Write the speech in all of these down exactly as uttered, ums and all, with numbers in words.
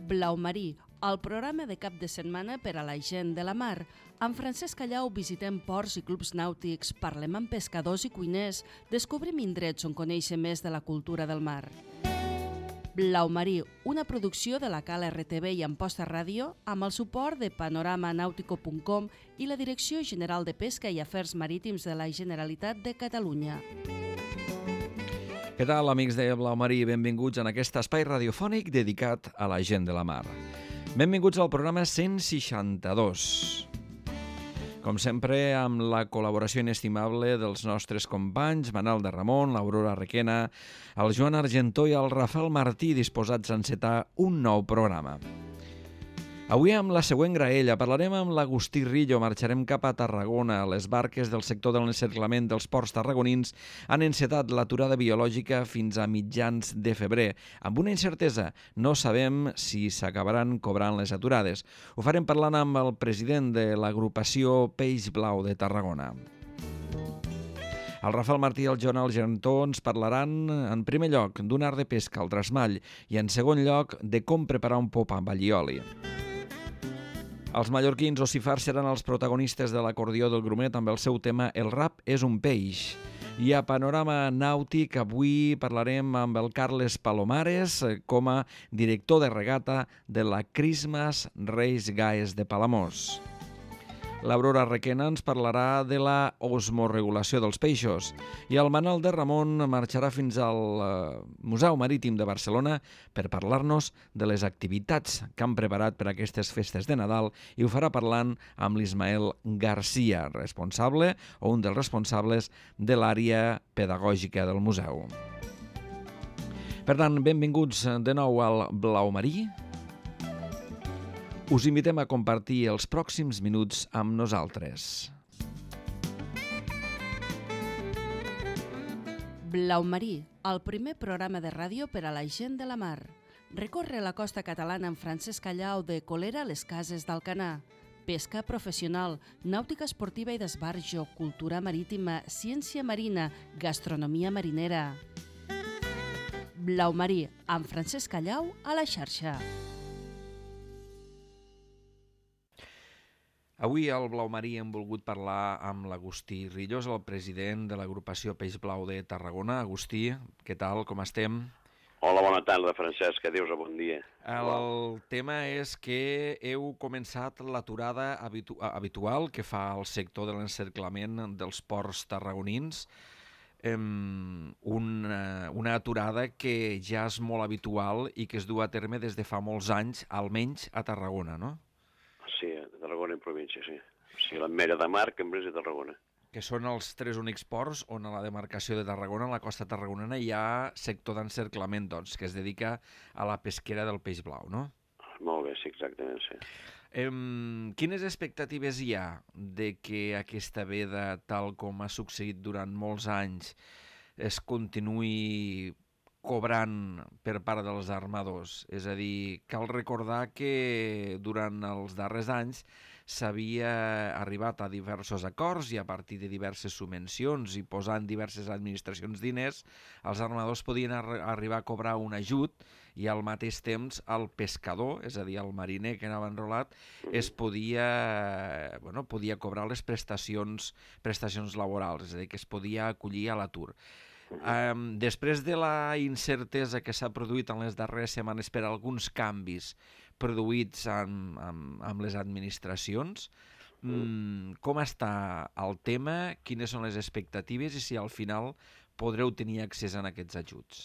Blau Marí, el programa de cap de setmana per a la gent de la mar. Amb Francesc Callau visitem ports i clubs nàutics, parlem amb pescadors i cuiners, descobrim indrets on conèixer més de la cultura del mar. Blau Marí, una producció de la Cal R T V i Amposta Ràdio, amb el suport de panorama nàutico punt com i la Direcció General de Pesca i Afers Marítims de la Generalitat de Catalunya. Què tal, amics de Blau Marí? Benvinguts en aquest espai radiofònic dedicat a la gent de la mar. Benvinguts al programa cent seixanta-dos. Com sempre, amb la col·laboració inestimable dels nostres companys, Manel de Ramon, l'Aurora Requena, el Joan Argentó i el Rafael Martí, disposats a encetar un nou programa. Avui amb la següent graella parlarem amb l'Agustí Rillo, marxarem cap a Tarragona. Les barques del sector de l'encerclament dels ports tarragonins han encetat l'aturada biològica fins a mitjans de febrer. Amb una incertesa, no sabem si s'acabaran cobrant les aturades. Ho farem parlant amb el president de l'agrupació Peix Blau de Tarragona. El Rafael Martí i el Joan Argentó ens parlaran, en primer lloc, d'un art de pesca al trasmall i, en segon lloc, de com preparar un pop amb allioli. Els mallorquins o sifars seran els protagonistes de l'acordió del Grumet amb el seu tema El rap és un peix. I a Panorama Nàutic avui parlarem amb el Carles Palomares com a director de regata de la Christmas Reis Gaes de Palamós. L'Aurora Requena ens parlarà de la osmoregulació dels peixos i el Manel de Ramon marxarà fins al Museu Marítim de Barcelona per parlar-nos de les activitats que han preparat per aquestes festes de Nadal i ho farà parlant amb l'Ismael Garcia, responsable o un dels responsables de l'àrea pedagògica del museu. Per tant, benvinguts de nou al Blau Marí. Us invitem a compartir els pròxims minuts amb nosaltres. Blau Marí, el primer programa de ràdio per a la gent de la mar. Recorre la costa catalana amb Francesc Callau de Colera a les Cases d'Alcanar. Pesca professional, nàutica esportiva i d'esbarjo, cultura marítima, ciència marina, gastronomia marinera. Blau Marí, amb Francesc Callau a la xarxa. Avui al Blau Marí hem volgut parlar amb l'Agustí Rillo, el president de l'agrupació Peix Blau de Tarragona. Agustí, què tal, com estem? Hola, bona tarda, Francesc, adius, bon dia. El tema és que heu començat l'aturada habitu habitual que fa el sector de l'encerclament dels ports tarragonins, una, una aturada que ja és molt habitual i que es du a terme des de fa molts anys, almenys a Tarragona, no? Sí, a Tarragona en província, sí. O sigui, l'Ametlla de Mar, Cambrils i Tarragona. Que són els tres únics ports on a la demarcació de Tarragona, a la costa tarragonina, hi ha sector d'encerclament, doncs, que es dedica a la pesquera del peix blau, no? Molt bé, sí, exactament, sí. Em, quines expectatives hi ha de que aquesta veda, tal com ha succeït durant molts anys, es continuï cobrant per part dels armadors? És a dir, cal recordar que durant els darrers anys s'havia arribat a diversos acords i a partir de diverses subvencions i posant diverses administracions diners, els armadors podien ar arribar a cobrar un ajut i al mateix temps el pescador, és a dir, el mariner que anava enrolat, es podia, bueno, podia cobrar les prestacions, prestacions laborals, és a dir, que es podia acollir a l'atur. Um, després de la incertesa que s'ha produït en les darreres setmanes per alguns canvis produïts amb, amb, amb les administracions, um, com està el tema, quines són les expectatives i si al final podreu tenir accés a aquests ajuts?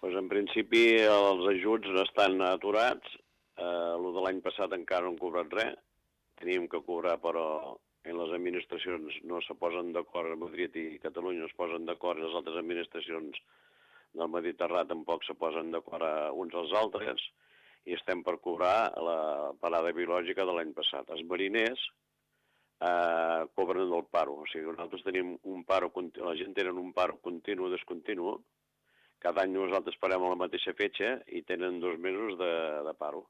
Pues en principi els ajuts estan aturats, eh, el de l'any passat encara no han cobrat res, teníem que cobrar però en les administracions no se posen d'acord, Madrid i Catalunya no es posen d'acord, les altres administracions del Mediterrani tampoc se posen d'acord uns als altres, i estem per cobrar la parada biològica de l'any passat. Els mariners eh, cobren del paro, o sigui, nosaltres tenim un paro, la gent tenen un paro continu o descontinu, cada any nosaltres parem a la mateixa fetge i tenen dos mesos de, de paro.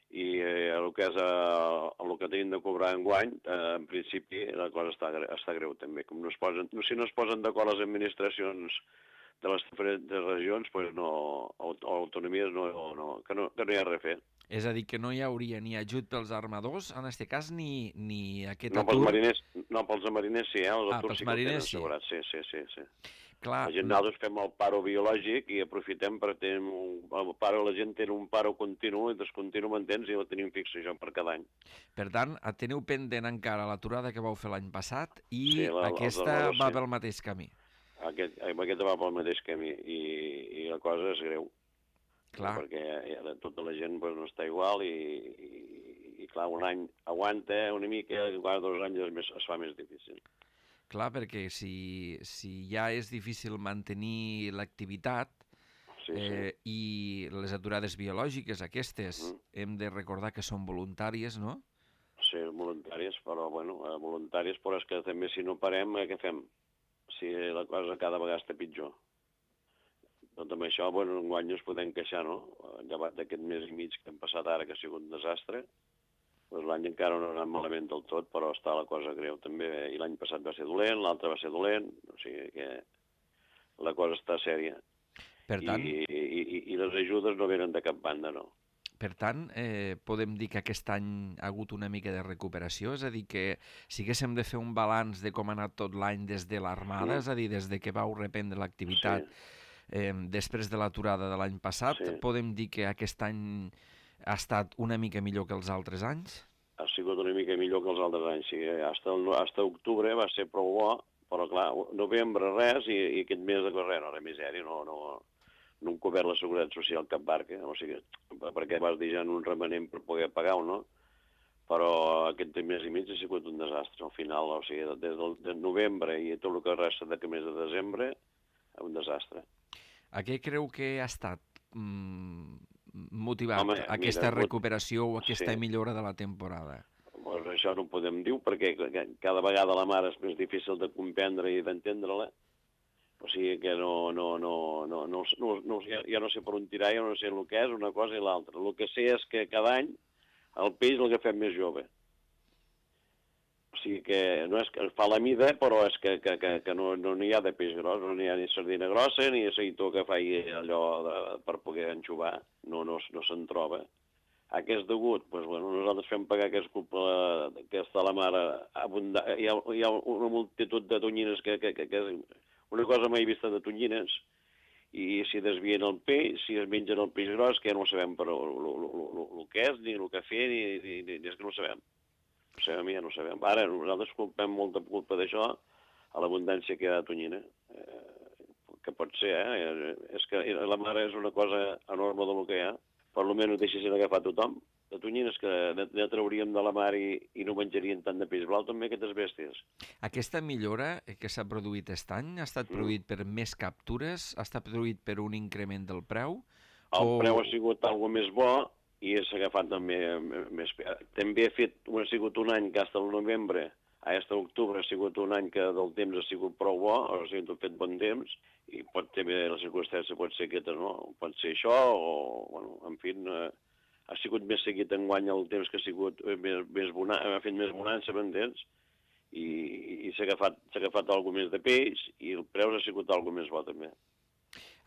I eh, el que és eh, el que tenim de cobrar enguany, eh, en principi la cosa està, està greu també. Com no es posen, si no es posen d'acord les administracions de les diferents regions, pues no, aut autonomies no, no, que no, que no hi ha res a fer. És a dir, que no hi hauria ni ajut pels armadors, en aquest cas, ni, ni aquest no, atur... Pels mariners, no, pels mariners sí, eh? Els ah, aturs pels sí que el tenen mariners sí. assegurat, sí, sí, sí. sí. Clar, la gent, nosaltres fem el paro biològic i aprofitem per tenir un... El paro, la gent té un paro continu i descontinu, m'entens? I el tenim fix això per cada any. Per tant, teniu pendent encara l'aturada que vau fer l'any passat i sí, la, aquesta va sí. pel mateix camí. Aquest, aquesta va pel mateix camí i, i la cosa és greu. Clar. Perquè ja, tota la gent pues, no està igual i, i, i clar, un any aguanta una mica, cada dos anys es, més, es fa més difícil. Clar, perquè si, si ja és difícil mantenir l'activitat sí, eh, sí. i les aturades biològiques aquestes mm. hem de recordar que són voluntàries, no? Sí, voluntàries, però bueno, voluntàries, però és que també si no parem, què fem? Si la cosa cada vegada està pitjor. Tot amb això, bueno, enguany ens podem queixar, no? Llevat d'aquest mes i mig que hem passat ara, que ha sigut un desastre, doncs l'any encara no ha anat malament del tot, però està la cosa greu també. I l'any passat va ser dolent, l'altre va ser dolent, o sigui que la cosa està sèria. Per tant... I, i, i, i les ajudes no venen de cap banda, no. Per tant, eh, podem dir que aquest any ha hagut una mica de recuperació? És a dir, que si haguéssim de fer un balanç de com ha anat tot l'any des de l'Armada, sí. és a dir, des de que vau reprendre l'activitat sí. eh, després de l'aturada de l'any passat, sí. podem dir que aquest any ha estat una mica millor que els altres anys? Ha sigut una mica millor que els altres anys, sí. Hasta, el, hasta octubre va ser prou bo, però clar, novembre res i, i aquest mes de res, no, la misèria, no, no, no hem cobert la seguretat social cap barca, o sigui, perquè vas dir ja en un remanent per poder pagar-ho, no? Però aquest mes i mig ha sigut un desastre, al final, o sigui, des del de novembre i tot el que resta d'aquest mes de desembre, un desastre. A què creu que ha estat mm, motivat Home, aquesta mira, recuperació o aquesta sí. millora de la temporada? Pues això no ho podem dir, perquè cada vegada la mar és més difícil de comprendre i d'entendre-la. O sigui que no, no, no, no, no, no, no, ja, ja no sé per on tirar, ja no sé el que és una cosa i l'altra. El que sé és que cada any el peix l'agafem més jove. O sigui que no és que fa la mida, però és que, que, que, que no, no n'hi ha de peix gros, no n'hi ha ni sardina grossa, ni aceitó que faci allò de, per poder enxuvar, no, no, no se'n troba. A què és degut? Pues, bueno, nosaltres fem pagar que és culpa que està la mar abundant. Hi ha, hi ha una multitud de tonyines que, que, que, que és una cosa mai vista de tonyines, i si desvien el peix, si es mengen el peix gros, que ja no sabem però el que és, ni el que fer, ni, ni, ni, ni és que no ho sabem. No sabem, ja no sabem. Ara, nosaltres culpem molta culpa d'això a l'abundància que hi ha de tonyina. Eh, que pot ser, eh? És que la mar és una cosa enorme del que hi ha. Per almenys ho deixessin agafar tothom. De tonyines que ne trauríem de la mar i, i no menjarien tant de peix blau, també aquestes bèsties. Aquesta millora que s'ha produït aquest any ha estat produït mm. per més captures? Ha estat produït per un increment del preu? El o... preu ha sigut algo més bo i s'ha agafat també més... També ha, fet, ha sigut un any que fins al novembre, fins a octubre ha sigut un any que del temps ha sigut prou bo, o sigui, ha fet bon temps, i pot també la circumstància pot ser aquesta, no? Pot ser això, o, bueno, en fi, eh, ha sigut més seguit enguany el temps que ha sigut més, més bonança, ha fet més bonança, m'entens? I, i s'ha agafat, s'ha agafat alguna més de peix i el preu ha sigut alguna més bo també.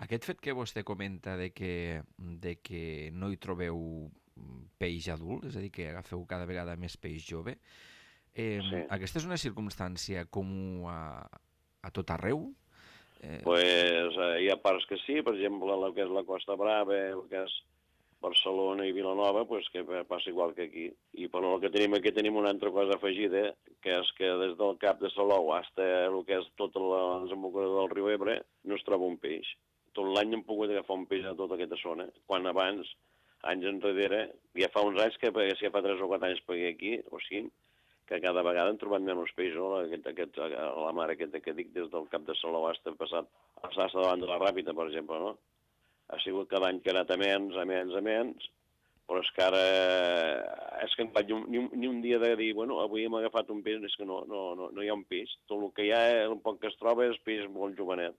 Aquest fet que vostè comenta de que, de que no hi trobeu peix adult, és a dir, que agafeu cada vegada més peix jove, eh, sí. aquesta és una circumstància comú a, a tot arreu? Eh... Pues eh, hi ha parts que sí, per exemple, el que és la Costa Brava, el que és Barcelona i Vilanova, pues, que passa igual que aquí. I però el que tenim aquí tenim una altra cosa afegida, que és que des del Cap de Salou fins el que és tota la desembocadura del riu Ebre no es troba un peix. Tot l'any hem pogut agafar un peix a tota aquesta zona, quan abans, anys enrere, ja fa uns anys que ja fa tres o quatre anys per aquí, o cinc, que cada vegada hem trobat menys peix, no? Aquest, aquest, la mar aquesta que dic, des del Cap de Salou fins passat, fins davant de la Ràpita, per exemple, no? Ha sigut cada any que ha anat a menys, a menys, a menys, però és que ara és que ni un, ni un, ni un dia de dir, bueno, avui hem agafat un peix, és que no, no, no, no hi ha un peix. Tot el que hi ha, el poc que es troba, és peix molt jovenet.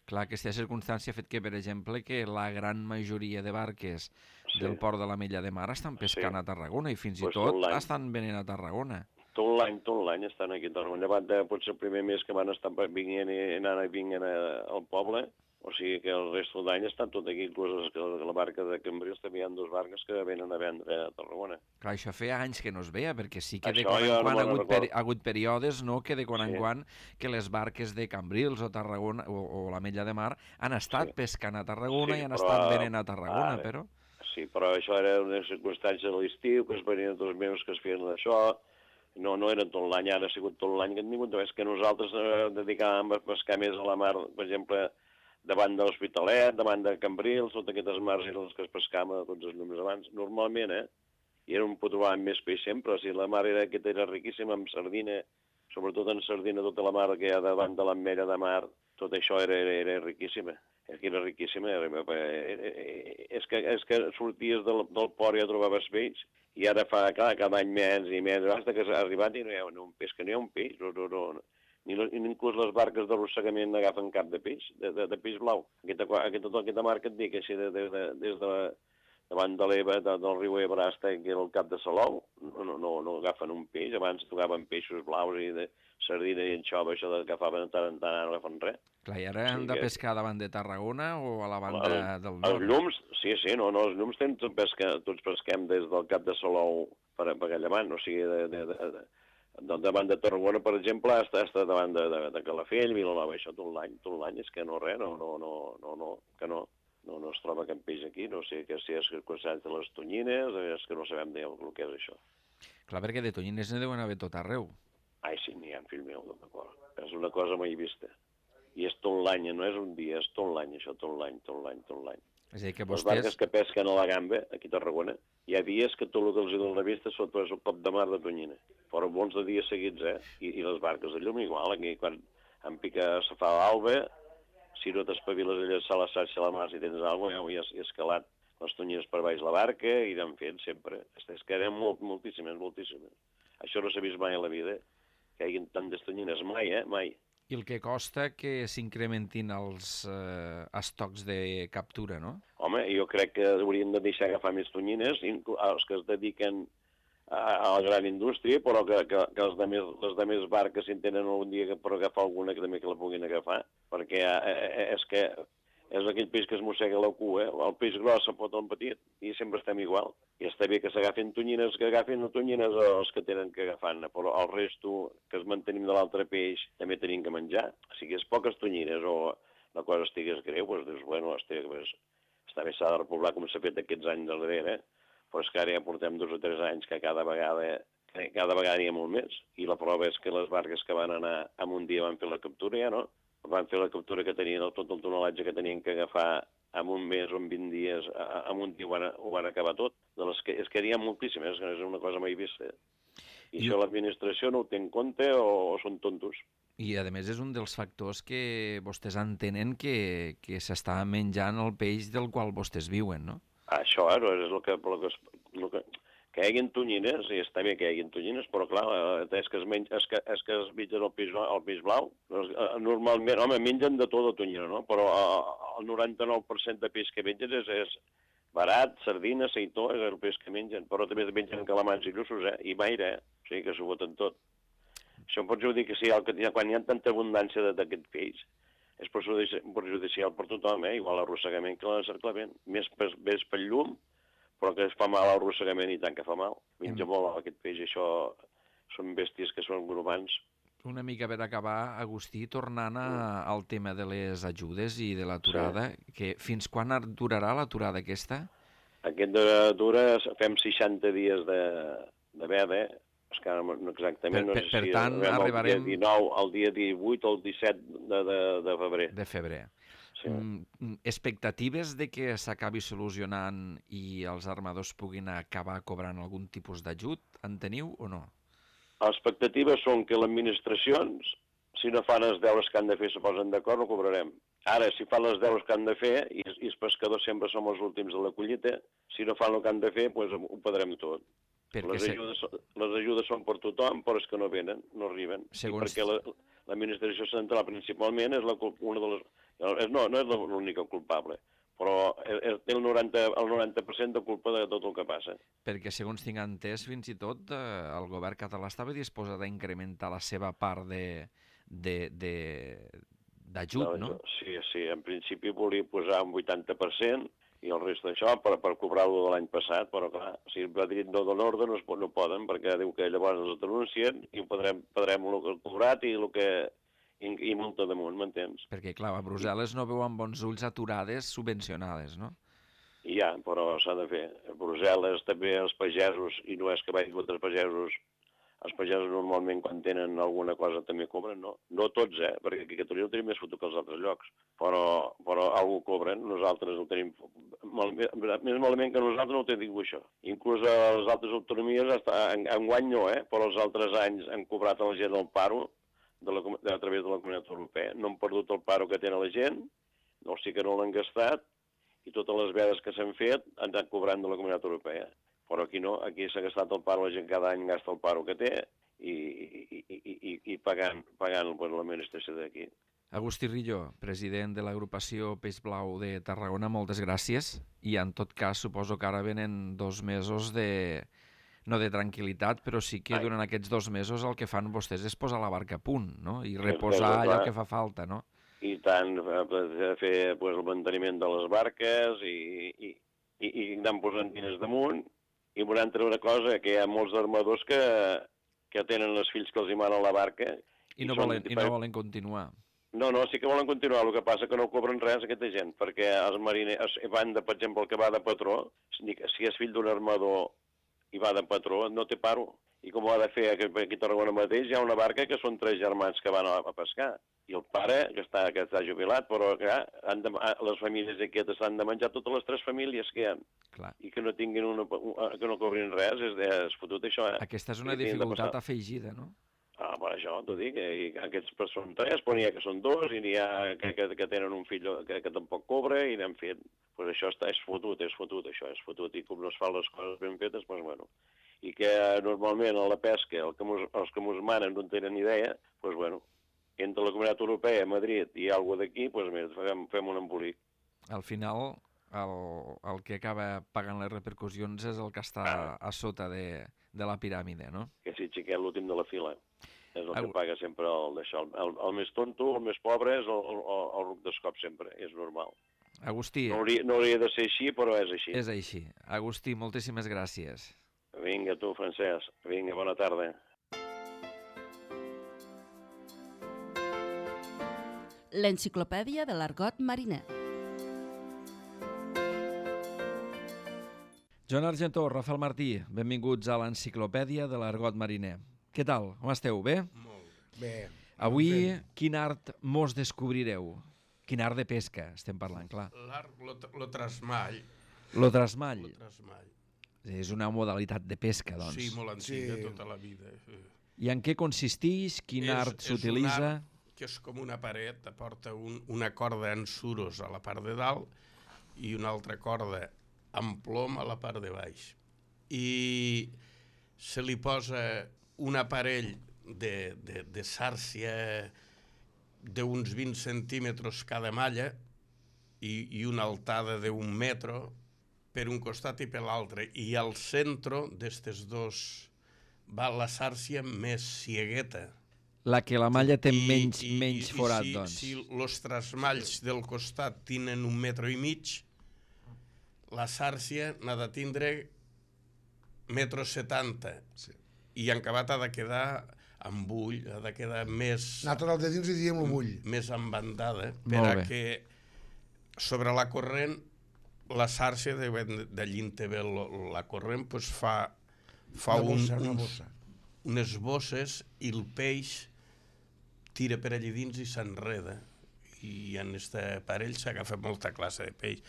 Clar, aquesta circumstància ha fet que, per exemple, que la gran majoria de barques sí. del port de l'Ametlla de Mar estan pescant sí. a Tarragona i fins pues i tot, tot estan venent a Tarragona. Tot l'any, tot l'any estan aquí a Tarragona. Llevat de potser el primer mes que van estar vinguent i anant i vinguent al poble, O sigui que el resto de l'any està tot aquí, inclús la barca de Cambrils també hi ha dues barques que venen a vendre a Tarragona. Clar, això feia anys que no es veia, perquè sí que de Això quan en jo no quan ha me'n hagut, peri recordo. ha hagut períodes, no?, que de quan en Sí. quan que les barques de Cambrils o Tarragona o, o l'Ametlla de Mar han estat Sí. pescant a Tarragona Sí, i han però, estat venent a Tarragona, ara, però... Sí, però això era una circumstància de l'estiu, que es venien dos mesos que es feien això, no, no era tot l'any, ara ha sigut tot l'any que han tingut, és que nosaltres eh, dedicàvem a pescar més a la mar, per exemple, davant de l'Hospitalet, davant de Cambrils, totes aquestes mars eren les que es pescaven a tots els llums abans, normalment, eh? I era un pot trobar més peix sempre, o sigui, la mar era, aquesta era riquíssima, amb sardina, sobretot en sardina, tota la mar que hi ha davant de l'Ametlla de Mar, tot això era, era, era riquíssima. És que era riquíssima, era, era, és, que, és que sorties del, del port i ja trobaves peix, i ara fa clar, cada any més i més, fins que s'ha arribat i no hi ha un peix, que no hi ha un peix, no, no, no, ni, ni inclús les barques d'arrossegament n'agafen cap de peix, de, de, de peix blau. Aquesta, aquesta, aquesta mar que et dic, així, de, de, de, des de la, davant de l'Ebre, de, del riu Ebre, fins que era el cap de Salou, no, no, no, no agafen un peix, abans tocaven peixos blaus i de sardina i anxova, això que agafaven tant en tant, no agafen res. Clar, i ara han Sí, de que- pescar davant de Tarragona o a la banda El- del Els nord? llums, sí, sí, no, no, els llums tenen tot pesca, tots pesquem des del cap de Salou per, per allà davant, o sigui, de, de, de, de, de, davant de Tarragona, per exemple, està, està davant de, de, de Calafell, Vilanova, això tot l'any, tot l'any, és que no res, no, no, no, no, no que no, no, no es troba cap peix aquí, no sé que si és circumstància de les tonyines, és que no sabem dir el que és això. Clar, perquè de tonyines ne deuen haver tot arreu. Ai, sí, n'hi ha, fill meu, d'acord. És una cosa mai vista. I és tot l'any, no és un dia, és tot l'any, això, tot l'any, tot l'any, tot l'any. És a dir, que Les barques vostès... que pesquen a la gamba, aquí a Tarragona, hi ha dies que tot el que els donen la vista sota és el cop de mar de tonyina. Però bons de dies seguits, eh? I, i les barques de llum igual, aquí quan em pica, se fa l'alba, si no t'espaviles a llançar la xarxa a la mar, si tens alguna cosa, ja has, has escalat les tonyines per baix la barca i anem fent sempre. És que eren molt, moltíssimes, moltíssimes. Això no s'ha vist mai a la vida, que hi hagi tantes tonyines, mai, eh? Mai. I el que costa que s'incrementin els eh, estocs de captura, no? Home, jo crec que haurien de deixar agafar més tonyines, inclús els que es dediquen a, a la gran indústria, però que, que, que els de més, les de més barques, si en tenen algun dia que per agafar alguna, que també que la puguin agafar, perquè eh, és que és aquell peix que es mossega la cua, eh? El peix gros se'n pot el petit, i sempre estem igual. I està bé que s'agafin tonyines, que agafin tonyines els que tenen que agafar-ne, però el resto, que es mantenim de l'altre peix, també tenim que menjar. O sigui, és poques tonyines o la cosa estigués greu, doncs dius, bueno, estic, pues, està bé, s'ha de repoblar com s'ha fet aquests anys darrere, però és que ara ja portem dos o tres anys que cada vegada, que cada vegada hi ha molt més, i la prova és que les barques que van anar en un dia van fer la captura, ja no? Van fer la captura que tenien, tot el tonelatge que tenien que agafar en un mes o en vint dies, en un dia ho van, ho van acabar tot. De les que, és que n'hi ha moltíssimes, és una cosa mai vista. I, I això l'administració no ho té en compte o, o són tontos. I, a més, és un dels factors que vostès entenen que, que s'està menjant el peix del qual vostès viuen, no? Això, eh, és el que... El que, el que que hi hagi tonyines, i està bé que hi hagi tonyines, però clar, és que es, menja, és que, és que es mengen el peix, el peix blau. Normalment, home, mengen de tot de tonyina, no? Però el noranta-nou per cent de peix que mengen és, és barat, sardina, seitó, és el peix que mengen, però també mengen calamars i llussos, eh? I maire, eh? O sigui que s'ho boten tot. Això em pots dir que sí, quan hi ha tanta abundància d'aquest peix, és perjudicial per tothom, eh? Igual l'arrossegament que l'encerclament. Més, més pel llum, però que es fa mal l'arrossegament i tant que fa mal. Menja molt aquest peix, això són bèsties que són grupants. Una mica per acabar, Agustí, tornant a, al tema de les ajudes i de l'aturada, sí. Que fins quan durarà l'aturada aquesta? Aquesta dura, fem seixanta dies de, de veda, és que no exactament, per, per, no sé per si tant, arribarem... el dia dinou, el dia divuit o el disset de, de, de febrer. De febrer. Sí. Mm, expectatives de que s'acabi solucionant i els armadors puguin acabar cobrant algun tipus d'ajut, en teniu o no? Les expectatives són que les administracions, si no fan els deures que han de fer, se posen d'acord, no cobrarem. Ara, si fan els deures que han de fer, i, i els pescadors sempre som els últims de la collita, si no fan el que han de fer, doncs ho perdrem tot. Perquè les, ajudes, se... les ajudes són per tothom, però és que no venen, no arriben. Segons... I perquè l'administració central principalment és la, una de les... No, no és l'única culpable, però té el noranta per cent de culpa de tot el que passa. Perquè, segons tinc entès, fins i tot eh, el govern català estava disposat a incrementar la seva part de, de, de, d'ajut, no? Sí, sí, en principi volia posar un vuitanta per cent i el rest d'això per, per cobrar-lo de l'any passat, però clar, si va dir no de l'ordre no, no poden, perquè diu que llavors els denuncien i ho podrem, podrem el que cobrat i el que i, i multa damunt, m'entens? Perquè, clar, a Brussel·les no veuen bons ulls aturades subvencionades, no? I ja, però s'ha de fer. A Brussel·les també els pagesos, i no és que vagi contra els pagesos, els pagesos normalment quan tenen alguna cosa també cobren, no? No tots, eh? Perquè aquí a Catalunya ho tenim més fotut que als altres llocs. Però, però algú cobren, nosaltres ho tenim mal, més malament que nosaltres no ho tenim això. Inclús a les altres autonomies, en, en guany no, eh? Però els altres anys han cobrat a la gent el paro de la, de, a través de la Comunitat Europea. No han perdut el paro que tenen la gent, no, sí que no l'han gastat, i totes les vedes que s'han fet han anat cobrant de la Comunitat Europea. Però aquí no, aquí s'ha gastat el paro, la gent cada any gasta el paro que té i, i, i, i, i pagant, pagant pues, l'administració d'aquí. Agustí Rillo, president de l'agrupació Peix Blau de Tarragona, moltes gràcies. I en tot cas suposo que ara venen dos mesos de... no de tranquil·litat, però sí que durant aquests dos mesos el que fan vostès és posar la barca a punt, no? I reposar allò que fa falta, no? I tant, fer pues, el manteniment de les barques i, i, i, i anar posant diners damunt. I una altra una cosa, que hi ha molts armadors que, que tenen els fills que els hi manen la barca. I no, volen, i no volen continuar. No, no, sí que volen continuar, el que passa que no cobren res aquesta gent, perquè els mariners van de, per exemple, el que va de patró, si és fill d'un armador i va de patró, no té paro. I com ho ha de fer aquí a Tarragona mateix, hi ha una barca que són tres germans que van a, a pescar. I el pare, que està, que està jubilat, però clar, han de, les famílies aquestes han de menjar totes les tres famílies que hi ha. Clar. I que no tinguin una, que no cobrin res, és, és fotut això, eh? Aquesta és una dificultat afegida, no? Ah, per això t'ho dic, i aquests són tres, però n'hi ha que són dos, i n'hi ha que, que, que tenen un fill que, que tampoc cobra, i n'hem fet. Pues això està, és fotut, és fotut, això, és fotut, i com no es fan les coses ben fetes, doncs bueno. I que normalment a la pesca, el que mos, els que mos manen no tenen idea, doncs bueno, entre la Comunitat Europea, Madrid i algú d'aquí, doncs mira, fem, fem un embolic. Al final, el, el que acaba pagant les repercussions és el que està ah. a sota de, de la piràmide, no? Que si xiquet l'últim de la fila. És el Au. que paga sempre el d'això. El, el més tonto, el més pobre, és el, el, el ruc d'escop sempre, és normal. Agustí... No hauria, no hauria de ser així, però és així. És així. Agustí, moltíssimes gràcies. Vinga, tu, Francesc. Vinga, bona tarda. L'enciclopèdia de l'argot mariner. Joan Argentó, Rafael Martí, benvinguts a l'enciclopèdia de l'argot mariner. Què tal? Com esteu? Bé? Molt bé. Avui, quin art mos descobrireu? Quin art de pesca estem parlant, clar. L'art, lo, lo trasmall. Lo trasmall. Lo trasmall. És una modalitat de pesca, doncs. Sí, molt antiga, sí. Tota la vida. I en què consisteix? Quin és, art s'utilitza? És un art que és com una paret, aporta un, una corda en suros a la part de dalt i una altra corda amb plom a la part de baix. I se li posa un aparell de, de, de sàrcia d'uns vint centímetres cada malla i, i una altada d'un metro per un costat i per l'altre. I al centre d'estes dos va la sàrcia més ciegueta. La que la malla té I, menys, i, menys i, forat, i si, doncs. Si els trasmalls del costat tenen un metro i mig, la sàrcia n'ha de tindre metro setanta. Sí. I en acabat ha de quedar amb bull, ha de quedar més... Nosaltres de dins li diem el bull. Més embandada, per a que sobre la corrent, la sàrcia, d'allí en té bé la corrent, pues fa, fa una bossa, un, una uns, bossa. unes bosses i el peix tira per allí dins i s'enreda. I en aquest aparell s'agafa molta classe de peix.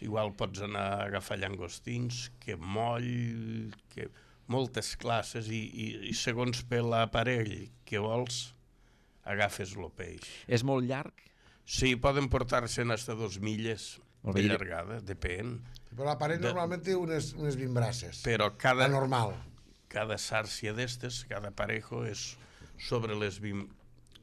Igual pots anar a agafar llangostins, que moll, que moltes classes, i, i, i segons per l'aparell que vols, agafes el peix. És molt llarg? Sí, poden portar-se fins a dos milles de llargada, depèn. Però l'aparell de... normalment té unes, unes vint braces. Però cada... La normal. Cada sàrcia d'estes, cada parejo, és sobre les vint,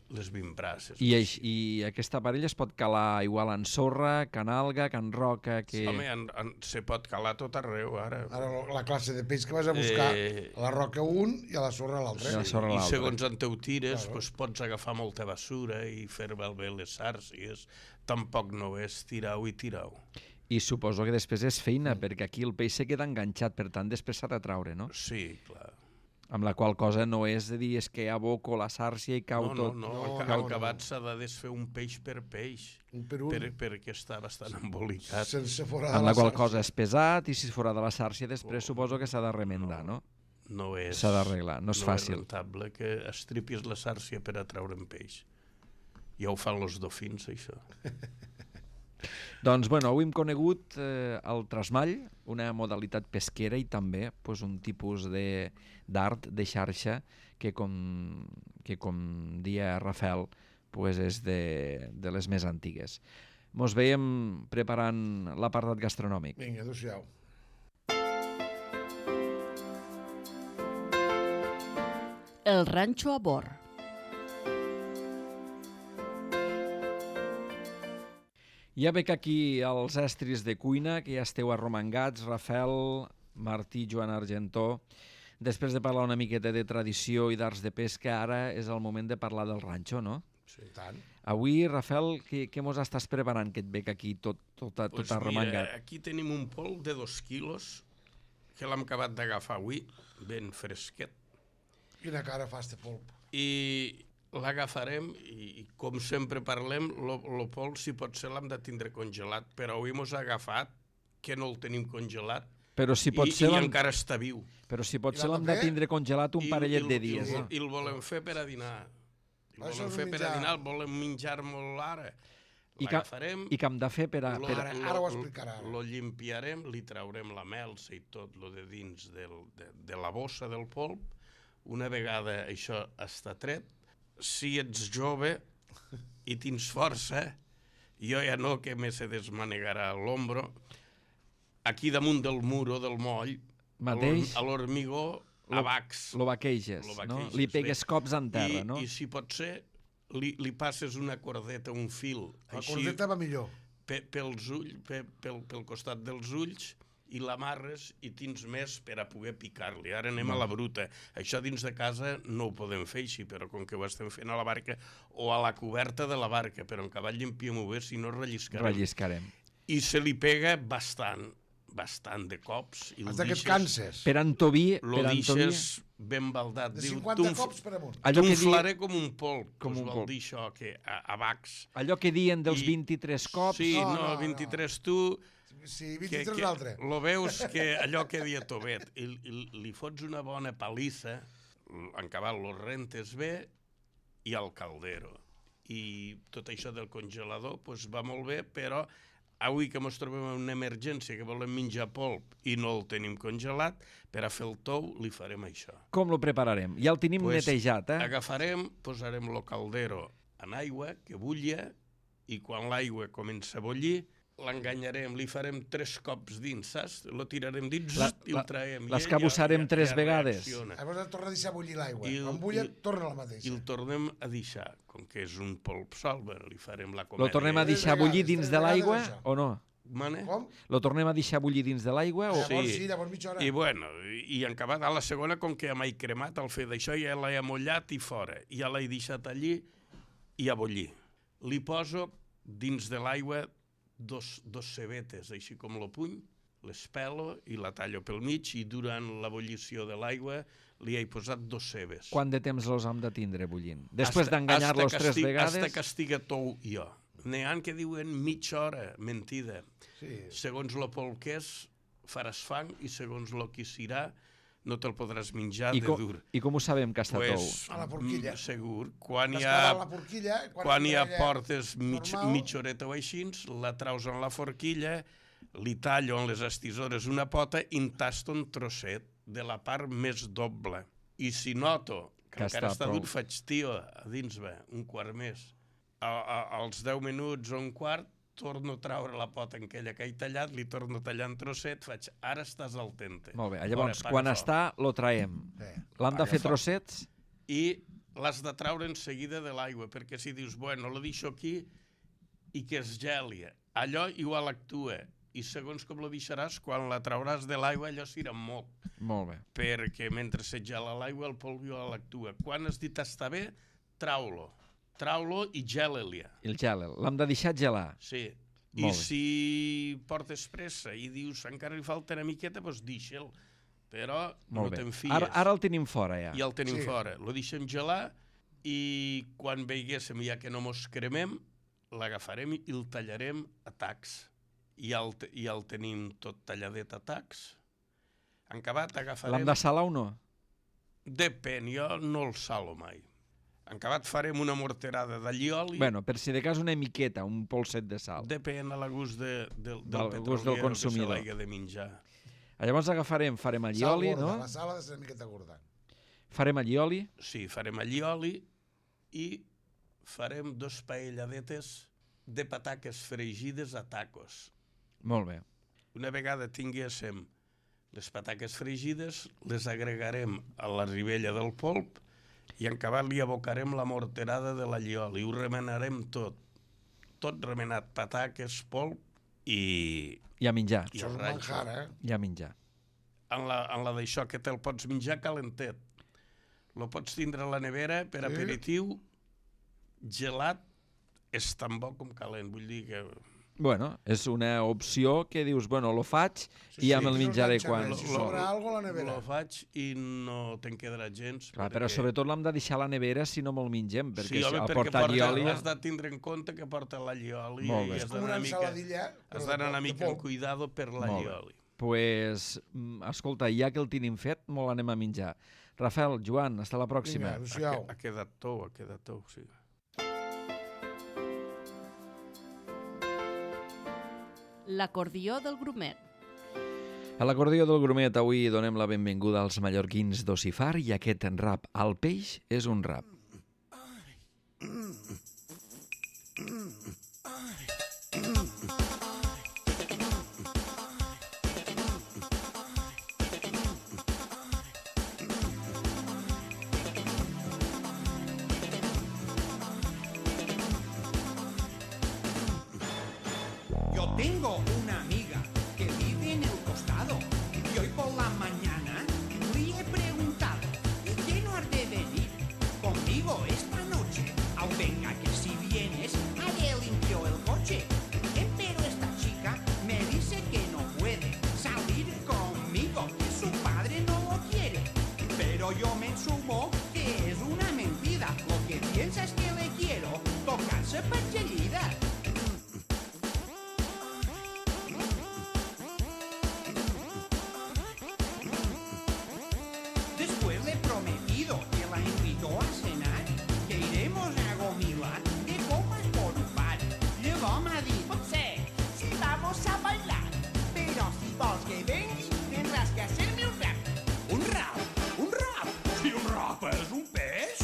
les vimbrasses. I, eix, I aquest aparell es pot calar igual en sorra, can alga, can roca... Que... Home, en, en, se pot calar tot arreu, ara. Ara la classe de peix que vas a buscar, Eh, a la roca un i a la sorra l'altre. I a la sorra I l'altre. segons on te ho tires, Claro. pues, pots agafar molta basura i fer malbé les sàrcies. Tampoc no és tirau i tirau. I suposo que després és feina, perquè aquí el peix se queda enganxat, per tant després s'ha de traure, no? Sí, clar. Amb la qual cosa no és de dir és que aboco la sàrcia i cau No, no, tot. no, No, al, no, al no. acabat s'ha de desfer un peix per peix, Un per un, per, perquè està bastant embolicat. sense fora de Amb la qual sàrcia. cosa és pesat i si és fora de la sàrcia després suposo que s'ha de remendar, no? No és, S'ha d'arreglar, no és fàcil. No és rentable que estripis la sàrcia per atraure un peix. Ja ho fan els dofins, això. Doncs, bueno, avui hem conegut eh, el trasmall, una modalitat pesquera i també pues, un tipus de d'art de xarxa que, com, que, com dia Rafael, pues, és de, de les més antigues. Mos veiem preparant l'apartat gastronòmic. Vinga, adéu-siau. El ranxo a bord. Ja veig aquí els estris de cuina, que ja esteu arromangats, Rafael, Martí, Joan Argentó. Després de parlar una miqueta de tradició i d'arts de pesca, ara és el moment de parlar del ranxo, no? Sí, tant. Avui, Rafael, què, què mos estàs preparant, que et veig aquí tot, tot, tot Pues arromangat? mira, aquí tenim un pol de dos quilos que l'hem acabat d'agafar avui, ben fresquet, Quina cara fa este polp. i l'agafarem i, i com sempre parlem, el pol, si pot ser, l'hem de tindre congelat, però avui mos ha agafat que no el tenim congelat Però si pot i, ser, i l'hem- encara està viu. però si pot I ser l'hem l'hem de de fer? tindre congelat un I- parellet i- de i- dies. I, eh? i el volem fer per a dinar. El Això volem és fer un per a menjar. dinar, el volem menjar molt ara. I que, L'agafarem, I que hem de fer per a... lo- Per a... Ara- lo- ara ho lo- explicarà, ara. Lo limpiarem, li traurem la melsa i tot lo de dins del, de, de la bossa del polp. Una vegada això està tret, si ets jove i tens força, jo ja no, que me se desmanegarà l'ombro, aquí damunt del muro del moll, Mateix? a l'hormigó, a bacs. Lo vaqueges, Lo no? vaqueixes, Li pegues bé. cops en terra, I, no? I si pot ser, li, li passes una cordeta, un fil, La així, cordeta va millor. pe, pels ulls, pe, pel, pel costat dels ulls, i l'amarres i tens més per a poder picar-li. Ara anem a la bruta. Això dins de casa no ho podem fer així, però com que ho estem fent a la barca o a la coberta de la barca, però en cavall llimpiem-ho bé, si no relliscarem. Relliscarem. I se li pega bastant, bastant de cops. I el Hasta que et deixes- canses. Per Antoví... Lo Per Antoví... deixes ben baldat. De Diu, cinquanta "T'unf- cops per amunt. Allò que, di... T'unflaré com un polp, Com com un vol polp. dir això, que a, a bacs. Allò que diuen dels I- vint-i-tres cops... Sí, No, no, no, no. vint-i-tres tu... Sí, que, vint-i-tres que l'altre. lo veus que allò que dia Tobet, i, i li fots una bona palissa, en cabal lo rentes bé, i al caldero. I tot això del congelador pues, va molt bé, però avui que ens trobem en una emergència que volem menjar polp i no el tenim congelat, per a fer el tou li farem això. Com lo prepararem? Ja el tenim Pues, netejat, eh? Agafarem, posarem el caldero en aigua, que bulla, i quan l'aigua comença a bullir, l'enganyarem, li farem tres cops dins, saps? Lo tirarem dins La- i la- el traiem. I l'escabussarem ell ja- tres ja vegades. reacciona. Llavors ha tornat a deixar bullir l'aigua. I el- Quan bulla, i- torna la I mateixa. el tornem a deixar, com que és un polp sol, bueno, li farem la Lo comèdia. tornem a Tres deixar vegades, bullir dins tres de l'aigua vegades això. o no? Mane? Com? Lo tornem a deixar bullir dins de l'aigua o... Llavors Sí. sí, llavors mitja hora. I bueno, i en acabat a la segona, com que ja m'he cremat, al fer d'això ja l'he amollat i fora. Ja l'he deixat allí i a bullir. Li poso dins de l'aigua dos, dos cebetes, així com lo puny, les pelo i la tallo pel mig, i durant l'ebullició de l'aigua li he posat dos cebes. Quant de temps los hem de tindre bullint? Després Hasta- d'enganyar-los hasta que tres estig- vegades... Hasta que estiga tou jo. N'hi ha que diuen mitja hora, mentida. Sí. Segons lo polp que és, faràs fang, i segons lo que serà, no te'l podràs menjar I, de com, dur. I com ho sabem que està Pues, A la forquilla. mm, segur. Quan Vas hi cavant ha, la forquilla, quan hi ha ella portes mig, normal. mitja horeta o així, la traus en la forquilla, li tallo en les estisores una pota i en tasto un trosset de la part més doble. I si noto que, Que encara està està prou. dur, faig tio a dins, va, un quart més. A, a, als deu minuts o un quart, torno a traure la pota en aquella que he tallat, li torno a tallar en trosset, faig, ara estàs al tente. Molt bé, llavors, Ara, paga quan foc. està, lo traiem. Sí. L'hem de Paga fer foc. trossets? I l'has de traure en seguida de l'aigua, perquè si dius, bueno, la deixo aquí i que es geli, allò igual actua, i segons com la deixaràs, quan la trauràs de l'aigua, allò s'irà molt. Molt bé. Perquè mentre se gela l'aigua, el polvo igual actua. Quan has dit està bé, trau-lo. Trau-lo i gela-li. El gel, l'hem de deixar gelar. Sí. Molt I bé. si portes pressa i dius encara li falta una miqueta, doncs deixa'l. Però no Molt bé. te'n fies. Ara, ara el tenim fora, ja. I el tenim Sí. fora. Lo deixem gelar i quan veiguéssim ja que no mos cremem, l'agafarem i el tallarem a tacs. I ja el, te- ja el tenim tot talladet a tacs. En acabat agafarem... L'hem de salar o no? Depèn, jo no el salo mai. En acabat farem una morterada d'allioli. Bueno, per si de cas una miqueta, un polset de sal. Depèn a la gust de, de, del, Del del gust del petroliero consumidor. que se l'hagi de menjar. Llavors agafarem, farem Sal allioli, gorda, no? la sal ha de ser una miqueta gorda. Farem allioli, Sí, farem allioli i farem dos paelladetes de pataques fregides a tacos. molt bé. Una vegada tinguéssim les pataques fregides, les agregarem a la ribella del polp i en acabat li abocarem la morterada de l'allioli. Ho remenarem tot. Tot remenat, pataques, polp i, I a menjar, i Això és el un ranxo. manjar, eh? i a menjar. En la, en la d'això que te'l pots menjar calentet. Lo pots tindre a la nevera per Sí. aperitiu, gelat, és tan bo com calent. Vull dir que... Bueno, és una opció que dius, bueno, lo faig Sí, i ja sí. me'l No es menjaré manxa quan... res, Si Lo- sobra algo a la nevera. Lo faig i no te'n quedarà gens. Clar, però sobretot l'hem de deixar a la nevera si no me'l mengem, perquè sí, home, al perquè portar porta, allioli... has de tindre en compte que porta l'allioli Molt i bé. has És com d'anar una una mica, ensaladilla, però has de d'anar polp, una de mica amb polp. cuidado per bé. l'allioli. Pues, mm, escolta, ja que el tenim fet, molt anem a menjar. Rafael, Joan, hasta la pròxima. Vinga, Ha, adéu-siau. ha quedat tou, ha quedat tou, sí. L'acordió del grumet. A l'acordió del grumet avui donem la benvinguda als mallorquins d'Ocifar i aquest rap al peix és un rap. Yo tengo una amiga que vive en el costado y hoy por la mañana le he preguntado ¿y qué no has de venir conmigo esta noche? Au venga que si vienes haré limpio el coche. Eh, pero esta chica me dice que no puede salir conmigo, que su padre no lo quiere. Pero yo me sumo que es una mentira. Lo que piensa es que le quiero tocarse percherida. Después le he prometido que la invito a cenar, que iremos a Gomila de copas por un bar. Luego me ha dicho, sé, si vamos a bailar, pero si vos que vengui tendrás que hacerme un rap. ¿Un rap? ¿Un rap? Si un rap es un pez.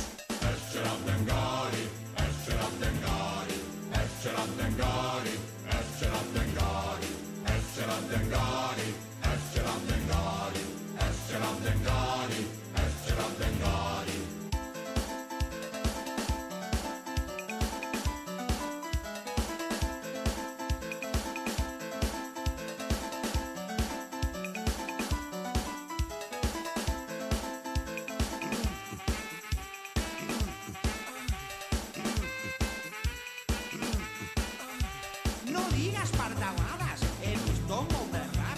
No digas pardaladas, he visto molt de rap.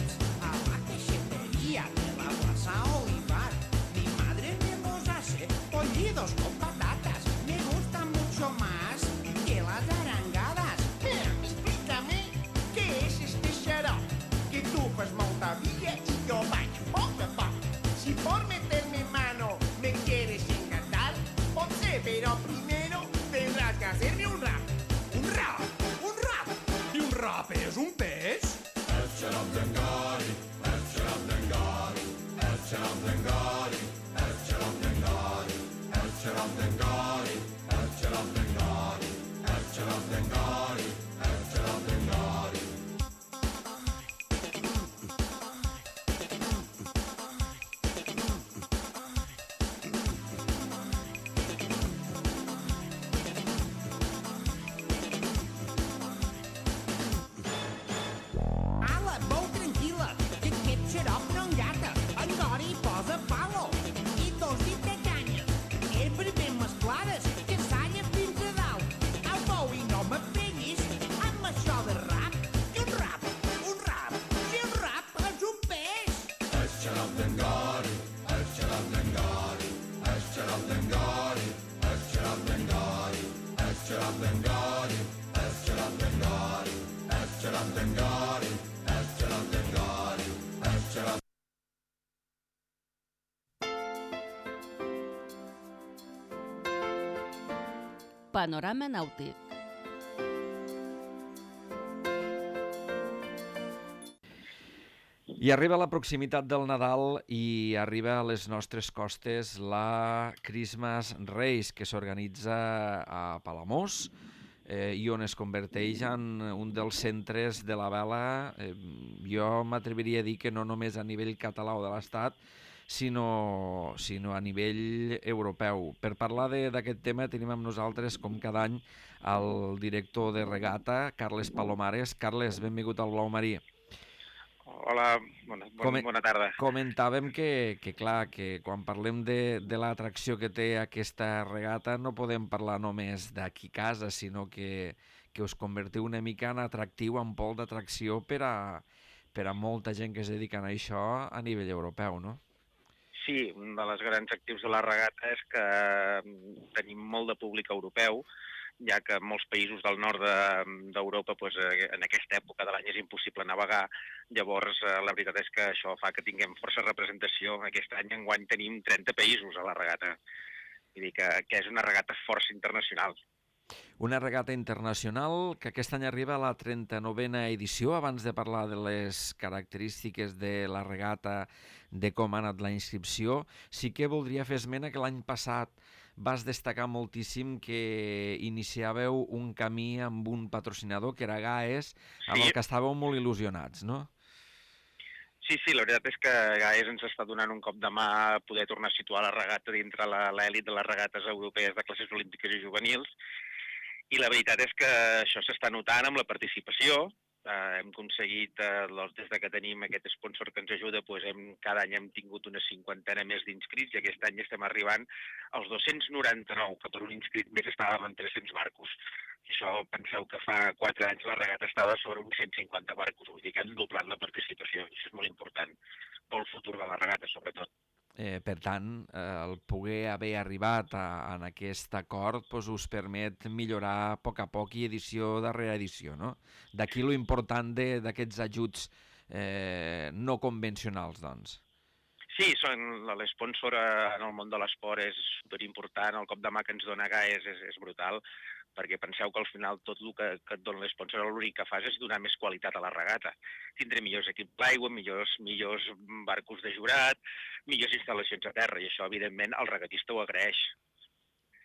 Panorama Nàutic. I arriba la proximitat del Nadal i arriba a les nostres costes la Christmas Race, que s'organitza a Palamós eh, i on es converteix en un dels centres de la vela. Eh, jo m'atreviria a dir que no només a nivell català o de l'Estat, sinó, sinó a nivell europeu. Per parlar d'aquest tema tenim amb nosaltres, com cada any, el director de regata, Carles Palomares. Carles, benvingut al Blau Marí. Hola, bona, bona, bona tarda. Comentàvem que, que clar, que quan parlem de, de l'atracció que té aquesta regata no podem parlar només d'aquí casa, sinó que, que us convertiu una mica en atractiu, en pol d'atracció per a, per a molta gent que es dedica a això a nivell europeu, no? Sí, un dels grans actius de la regata és que tenim molt de públic europeu, ja que en molts països del nord d'Europa de, doncs, en aquesta època de l'any és impossible navegar. Llavors, la veritat és que això fa que tinguem força representació. Aquest any enguany tenim trenta països a la regata. Vull dir que, que és una regata força internacional. Una regata internacional que aquest any arriba a la trenta-novena edició. Abans de parlar de les característiques de la regata, de com ha anat la inscripció, sí que voldria fer esment que l'any passat vas destacar moltíssim que iniciàveu un camí amb un patrocinador, que era Gaes, amb sí. el que estàveu molt il·lusionats, no? Sí, sí, la veritat és que Gaes ens està donant un cop de mà a poder tornar a situar la regata dintre l'èlit de les regates europees de classes olímpiques i juvenils, i la veritat és que això s'està notant amb la participació. Uh, hem aconseguit, uh, des de que tenim aquest sponsor que ens ajuda, doncs hem, cada any hem tingut una cinquantena més d'inscrits i aquest any estem arribant als dos-cents noranta-nou, que per un inscrit més estàvem en tres-cents barcos. I això, penseu que fa quatre anys la regata estava sobre uns cent cinquanta barcos, vull dir que hem doblat la participació, i això és molt important pel futur de la regata, sobretot. Eh, per tant, eh, el poder haver arribat a, a aquest acord doncs, us permet millorar a poc a poc i edició darrere edició, no? D'aquí lo important d'aquests ajuts eh, no convencionals, doncs. Sí, són l'esponsor en el món de l'esport és superimportant, el cop de mà que ens dona Gaes és, és brutal, perquè penseu que al final tot el que, que et dona l'esponsor l'únic que fas és donar més qualitat a la regata. Tindré millors equips d'aigua, millors, millors barcos de jurat, millors instal·lacions a terra, i això, evidentment, el regatista ho agraeix.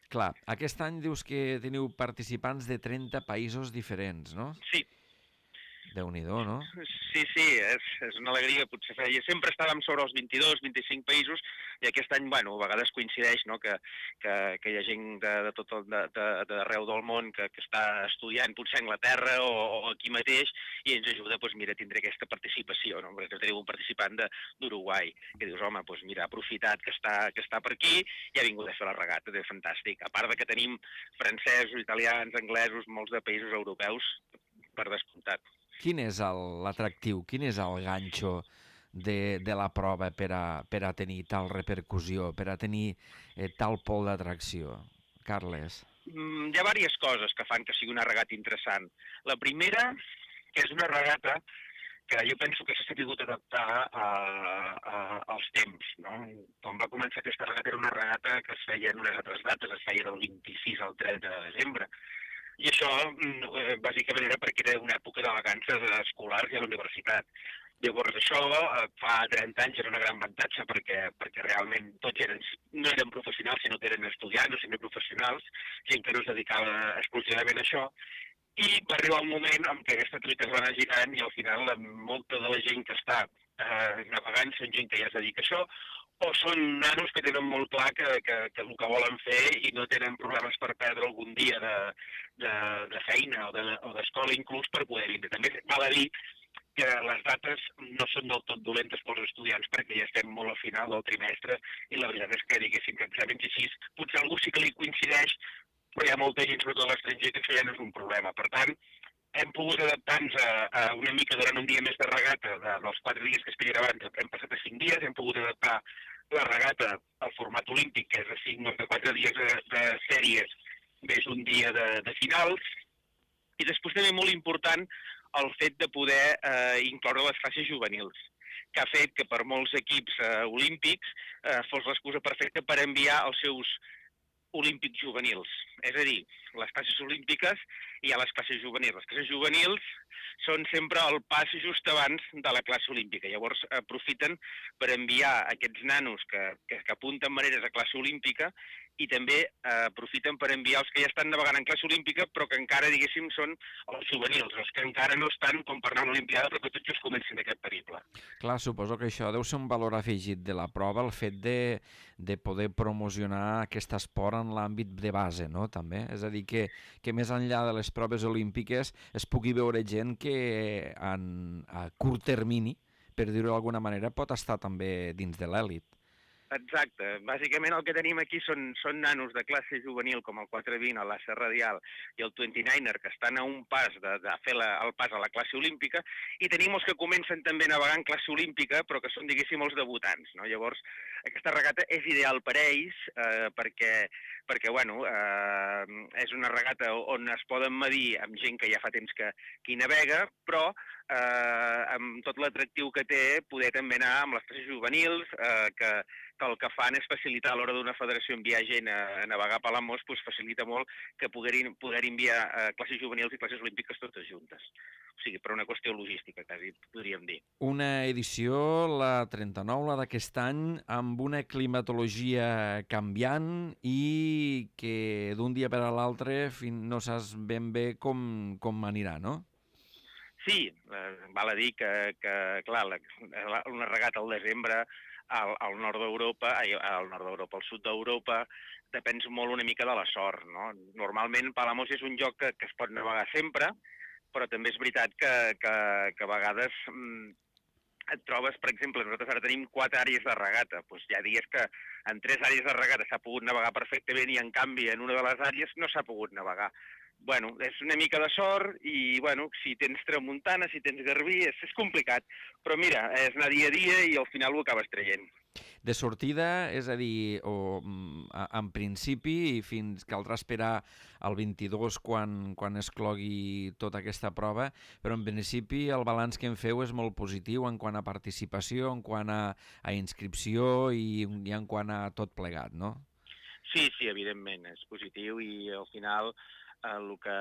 Clar, aquest any dius que teniu participants de trenta països diferents, no? Sí. Déu-n'hi-do, no? Sí, sí, és, és una alegria. Potser feia... Sempre estàvem sobre els vint-i-dos, vint-i-cinc països i aquest any, bueno, a vegades coincideix, no?, que, que, que hi ha gent de, de tot el, de, de, d'arreu del món que, que està estudiant potser a Anglaterra o, o aquí mateix i ens ajuda, doncs mira, a tindre aquesta participació, no? Perquè tenim un participant d'Uruguai que dius, home, doncs mira, ha aprofitat que està, que està per aquí i ha vingut a fer la regata, és fantàstic. A part de que tenim francesos, italians, anglesos, molts de països europeus, per descomptat. Quin és l'atractiu, quin és el ganxo de, de la prova per a, per a tenir tal repercussió, per a tenir eh, tal pol d'atracció? Carles. Mm, hi ha diverses coses que fan que sigui una regata interessant. La primera, que és una regata que jo penso que s'ha sabut adaptar a, a, als temps, no? Quan va començar aquesta regata era una regata que es feia en unes altres dates, es feia del vint-i-sis al trenta de desembre. I això, bàsicament, era perquè era una època de vacances escolars i a la universitat. Llavors, això fa trenta anys era una gran avantatge perquè, perquè realment tots eren, no eren professionals, sinó que eren estudiants o semiprofessionals, gent que no es dedicava exclusivament a això. I va arribar un moment en què aquesta truita es va anar girant i al final molta de la gent que està eh, navegant són gent que ja es dedica a això, o són nanos que tenen molt clar que, que, que el que volen fer i no tenen problemes per perdre algun dia de, de, de feina o d'escola, de, inclús per poder vindre. També val a dir que les dates no són del tot dolentes pels estudiants perquè ja estem molt al final del trimestre i la veritat és que diguéssim que exàmens així, potser algú sí que li coincideix, però hi ha molta gent, sobretot a l'estranger, que això ja no és un problema. Per tant, hem pogut adaptar-nos a, a una mica durant un dia més de regata, de, dels quatre dies que es feien abans, hem passat a cinc dies, hem pogut adaptar la regata al format olímpic, que és de cinc o de quatre dies de, de sèries, més un dia de, de finals, i després també molt important el fet de poder eh, incloure les classes juvenils, que ha fet que per molts equips eh, olímpics eh, fos l'excusa perfecta per enviar els seus olímpics juvenils. És a dir, les classes olímpiques i hi ha les classes juvenils. Les classes juvenils són sempre el pas just abans de la classe olímpica. Llavors aprofiten per enviar aquests nanos que, que, que apunten maneres a classe olímpica i també eh, aprofiten per enviar els que ja estan navegant en classe olímpica però que encara, diguéssim, són els juvenils, els que encara no estan com per anar a una olimpiada però que tots just comencin aquest periple. Clar, suposo que això deu ser un valor afegit de la prova, el fet de, de poder promocionar aquest esport en l'àmbit de base, no?, també. És a dir, que, que més enllà de les proves olímpiques es pugui veure gent que en, a curt termini, per dir-ho d'alguna manera, pot estar també dins de l'èlit. Exacte. Bàsicament el que tenim aquí són, són nanos de classe juvenil com el quatre vint, el l'A C Radial i el vint-i-niner que estan a un pas de, de fer la, el pas a la classe olímpica i tenim els que comencen també a navegar en classe olímpica però que són, diguéssim, els debutants, no? Llavors, aquesta regata és ideal per ells eh, perquè, perquè bueno, eh, és una regata on es poden medir amb gent que ja fa temps que, que hi navega, però eh, amb tot l'atractiu que té poder també anar amb les classes juvenils, eh, que que el que fan és facilitar a l'hora d'una federació enviar gent a, a navegar a Palamós, doncs facilita molt que poder, poder enviar eh, classes juvenils i classes olímpiques totes juntes. O sigui, per una qüestió logística, quasi podríem dir. Una edició, la trenta-nou, la d'aquest any, amb una climatologia canviant i que d'un dia per a l'altre no saps ben bé com, com anirà, no? Sí, eh, val a dir que, que clar, la, una regata al desembre al, al nord d'Europa, al nord d'Europa, al sud d'Europa, depèn molt una mica de la sort, no? Normalment Palamós és un lloc que, que es pot navegar sempre, però també és veritat que, que, que a vegades mm, et trobes, per exemple, nosaltres ara tenim quatre àrees de regata, doncs hi ha dies que en tres àrees de regata s'ha pogut navegar perfectament i en canvi en una de les àrees no s'ha pogut navegar. Bueno, és una mica de sort i, bueno, si tens tramuntana, si tens garbí, és, és complicat. Però mira, és anar dia a dia i al final ho acabes traient. De sortida, és a dir, o, en principi, fins caldrà esperar el vint-i-dos quan, quan es clogui tota aquesta prova, però en principi el balanç que en feu és molt positiu en quant a participació, en quant a, a inscripció i, i en quant a tot plegat, no? Sí, sí, evidentment, és positiu i al final el que,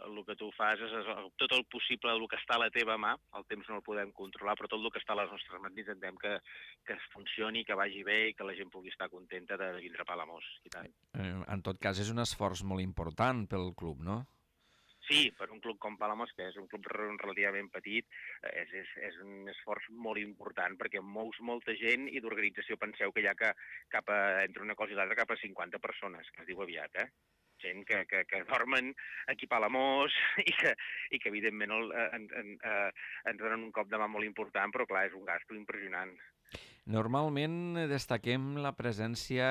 el que tu fas és tot el possible, el que està a la teva mà, el temps no el podem controlar, però tot el que està a les nostres mans intentem que, que funcioni, que vagi bé i que la gent pugui estar contenta de vindre a Palamós. I tant. En tot cas, és un esforç molt important pel club, no? Sí, per un club com Palamós, que és un club relativament petit, és, és, és un esforç molt important perquè mous molta gent i d'organització penseu que hi ha que, cap a, entre una cosa i l'altra cap a cinquanta persones, que es diu aviat, eh? Gent que, que, que dormen aquí a Palamós i que, i que evidentment el, en, en, eh, ens donen un cop de mà molt important, però clar, és un gasto impressionant. Normalment destaquem la presència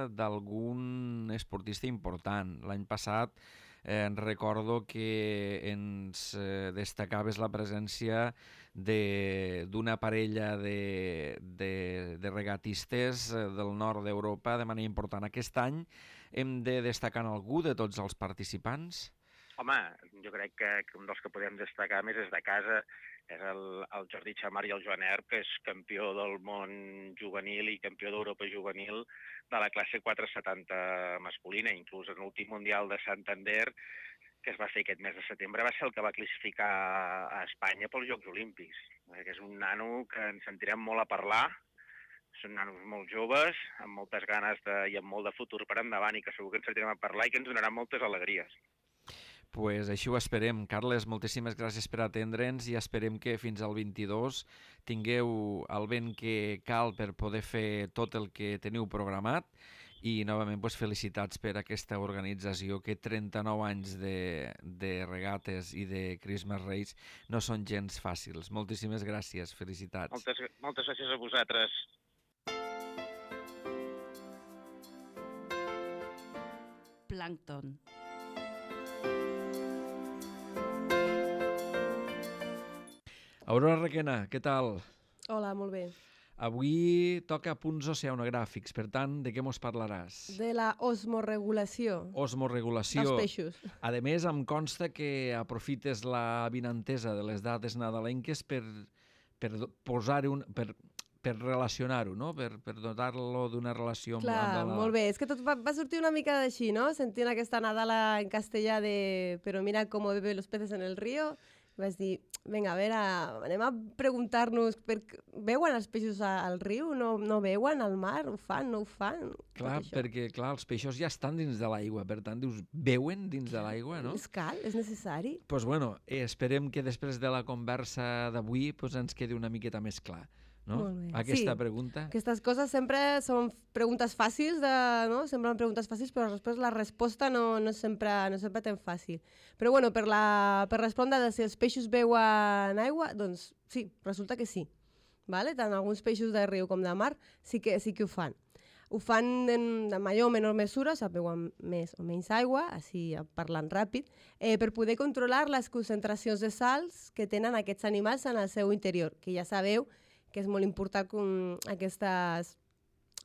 d'algun esportista important. L'any passat eh, recordo que ens eh, destacaves la presència d'una parella de, de, de regatistes del nord d'Europa de manera important. Aquest any hem de destacar algú de tots els participants? Home, jo crec que, que un dels que podem destacar més és de casa, és el, el Jordi Chamar i el Joan Erb, que és campió del món juvenil i campió d'Europa juvenil de la classe quatre setanta masculina. Inclús en l'últim Mundial de Santander, que es va fer aquest mes de setembre, va ser el que va classificar a Espanya pels Jocs Olímpics. Que és un nano que ens sentirem molt a parlar. Són nanos molt joves, amb moltes ganes de, i amb molt de futur per endavant i que segur que ens sentirem a parlar i que ens donaran moltes alegries. Pues així ho esperem. Carles, moltíssimes gràcies per atendre'ns i esperem que fins al vint-i-dos tingueu el vent que cal per poder fer tot el que teniu programat i novament pues, felicitats per aquesta organització que trenta-nou anys de, de regates i de Christmas Race no són gens fàcils. Moltíssimes gràcies, felicitats. Moltes, moltes gràcies a vosaltres. Plàncton. Aurora Requena, què tal? Hola, molt bé. Avui toca punts oceanogràfics, per tant, de què mos parlaràs? De la osmoregulació. Osmoregulació. Dels peixos. A més, em consta que aprofites la vinentesa de les dates nadalenques per, per posar un, per, per relacionar-ho, no? Per, per dotar-lo d'una relació amb, Clar, amb la... molt bé. És que tot va, va sortir una mica d'així, no? Sentint aquesta Nadala en castellà de «Pero mira cómo beben los peces en el río», vaig dir, vinga, a veure, anem a preguntar-nos, per... veuen els peixos al riu? No, no veuen al mar? Ho fan? No ho fan? Clar, perquè clar, els peixos ja estan dins de l'aigua, per tant, dius, veuen dins de l'aigua, no? És cal? És necessari? Doncs pues bueno, eh, esperem que després de la conversa d'avui pues, ens quedi una miqueta més clar. No? Molt bé. Aquesta sí, pregunta. Aquestes coses sempre són preguntes fàcils, de, no? Semblen preguntes fàcils, però després la resposta no, no, sempre, no sempre tan fàcil. Però bueno, per, la, per respondre de si els peixos veuen aigua, doncs sí, resulta que sí. Vale? Tant alguns peixos de riu com de mar sí que, sí que ho fan. Ho fan en, de major o menor mesura, o sigui, veuen més o menys aigua, així parlant ràpid, eh, per poder controlar les concentracions de sals que tenen aquests animals en el seu interior, que ja sabeu que és molt important com aquestes,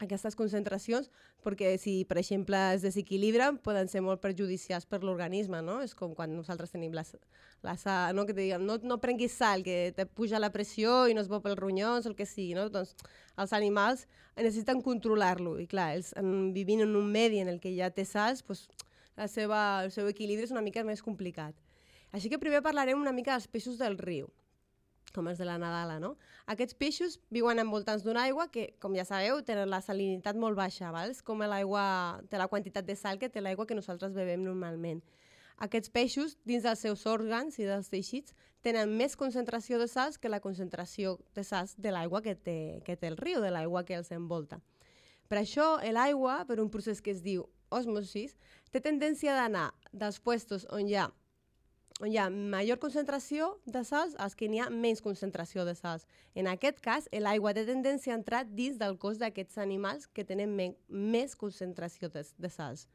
aquestes concentracions, perquè si, per exemple, es desequilibren, poden ser molt perjudicials per l'organisme, no? És com quan nosaltres tenim la, la sal, no? Que te diguem, no, no prenguis sal, que te puja la pressió i no es bo pels ronyons, el que sigui, no? Doncs els animals necessiten controlar-lo, i clar, ells en, vivint en un medi en el que ja té sals, doncs la seva, el seu equilibri és una mica més complicat. Així que primer parlarem una mica dels peixos del riu, com els de la Nadala, no? Aquests peixos viuen envoltants d'una aigua que, com ja sabeu, tenen la salinitat molt baixa, val? És com l'aigua té la quantitat de sal que té l'aigua que nosaltres bevem normalment. Aquests peixos, dins dels seus òrgans i dels teixits, tenen més concentració de sals que la concentració de sals de l'aigua que té, que té el riu, de l'aigua que els envolta. Per això, l'aigua, per un procés que es diu osmosis, té tendència d'anar dels puestos on hi ha on hi ha major concentració de sals als que n'hi ha menys concentració de sals. En aquest cas, l'aigua té tendència a entrar dins del cos d'aquests animals que tenen me més concentració de, de sals.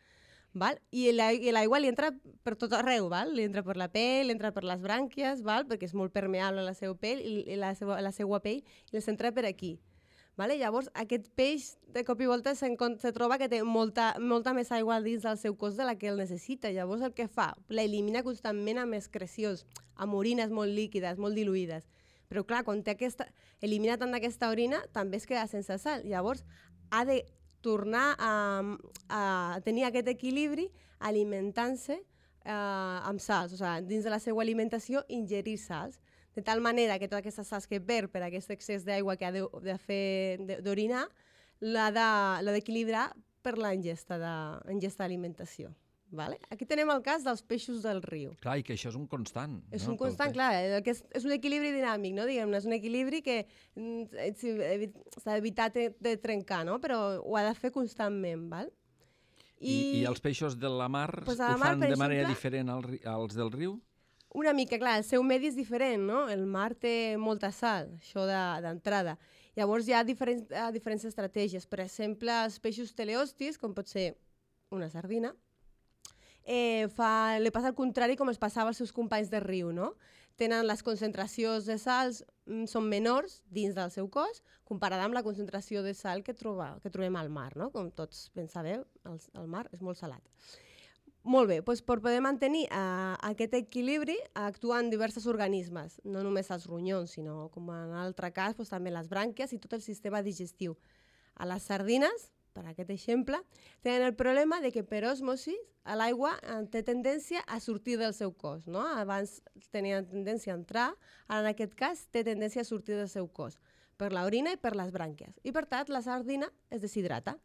Val? I l'aigua li entra per tot arreu, val? Li entra per la pell, li entra per les brànquies, val? Perquè és molt permeable la seva pell i la seva, la seva pell i els entra per aquí. Vale? Llavors, aquest peix de cop i volta se, se troba que té molta, molta més aigua dins del seu cos de la que el necessita. Llavors, el que fa? L'elimina constantment amb excrecions, amb orines molt líquides, molt diluïdes. Però, clar, quan té aquesta, elimina tant d'aquesta orina, també es queda sense sal. Llavors, ha de tornar a, a tenir aquest equilibri alimentant-se eh, amb sals. O sigui, dins de la seva alimentació, ingerir sals. De tal manera que totes aquestes sals que perd per aquest excés d'aigua que ha de, de fer d'orinar, l'ha d'equilibrar per la ingesta d'alimentació. Vale? Aquí tenem el cas dels peixos del riu. Clar, i que això és un constant. És no? un constant, clar, que és, és un equilibri dinàmic, no? Diguem-ne, és un equilibri que s'ha d'evitar de, de trencar, no? Però ho ha de fer constantment, val? I, I, i els peixos de la mar pues ho mar, fan de exemple, manera diferent al, als del riu? Una mica, clar, el seu medi és diferent, no? El mar té molta sal, això d'entrada. De, Llavors hi ha diferents, diferents estratègies. Per exemple, els peixos teleostis, com pot ser una sardina, eh, fa, li passa al contrari com els passava als seus companys de riu, no? Tenen les concentracions de sals, són menors dins del seu cos, comparada amb la concentració de sal que, troba, que trobem al mar, no? Com tots ben sabeu, el, el mar és molt salat. Molt bé, doncs per poder mantenir uh, aquest equilibri actuen diversos organismes, no només els ronyons, sinó, com en l'altre cas, doncs, també les brànquies i tot el sistema digestiu. A les sardines, per aquest exemple, tenen el problema de que per osmosis l'aigua té tendència a sortir del seu cos. No? Abans tenia tendència a entrar, ara en aquest cas té tendència a sortir del seu cos, per l'orina i per les brànquies. I per tant, la sardina es deshidrata.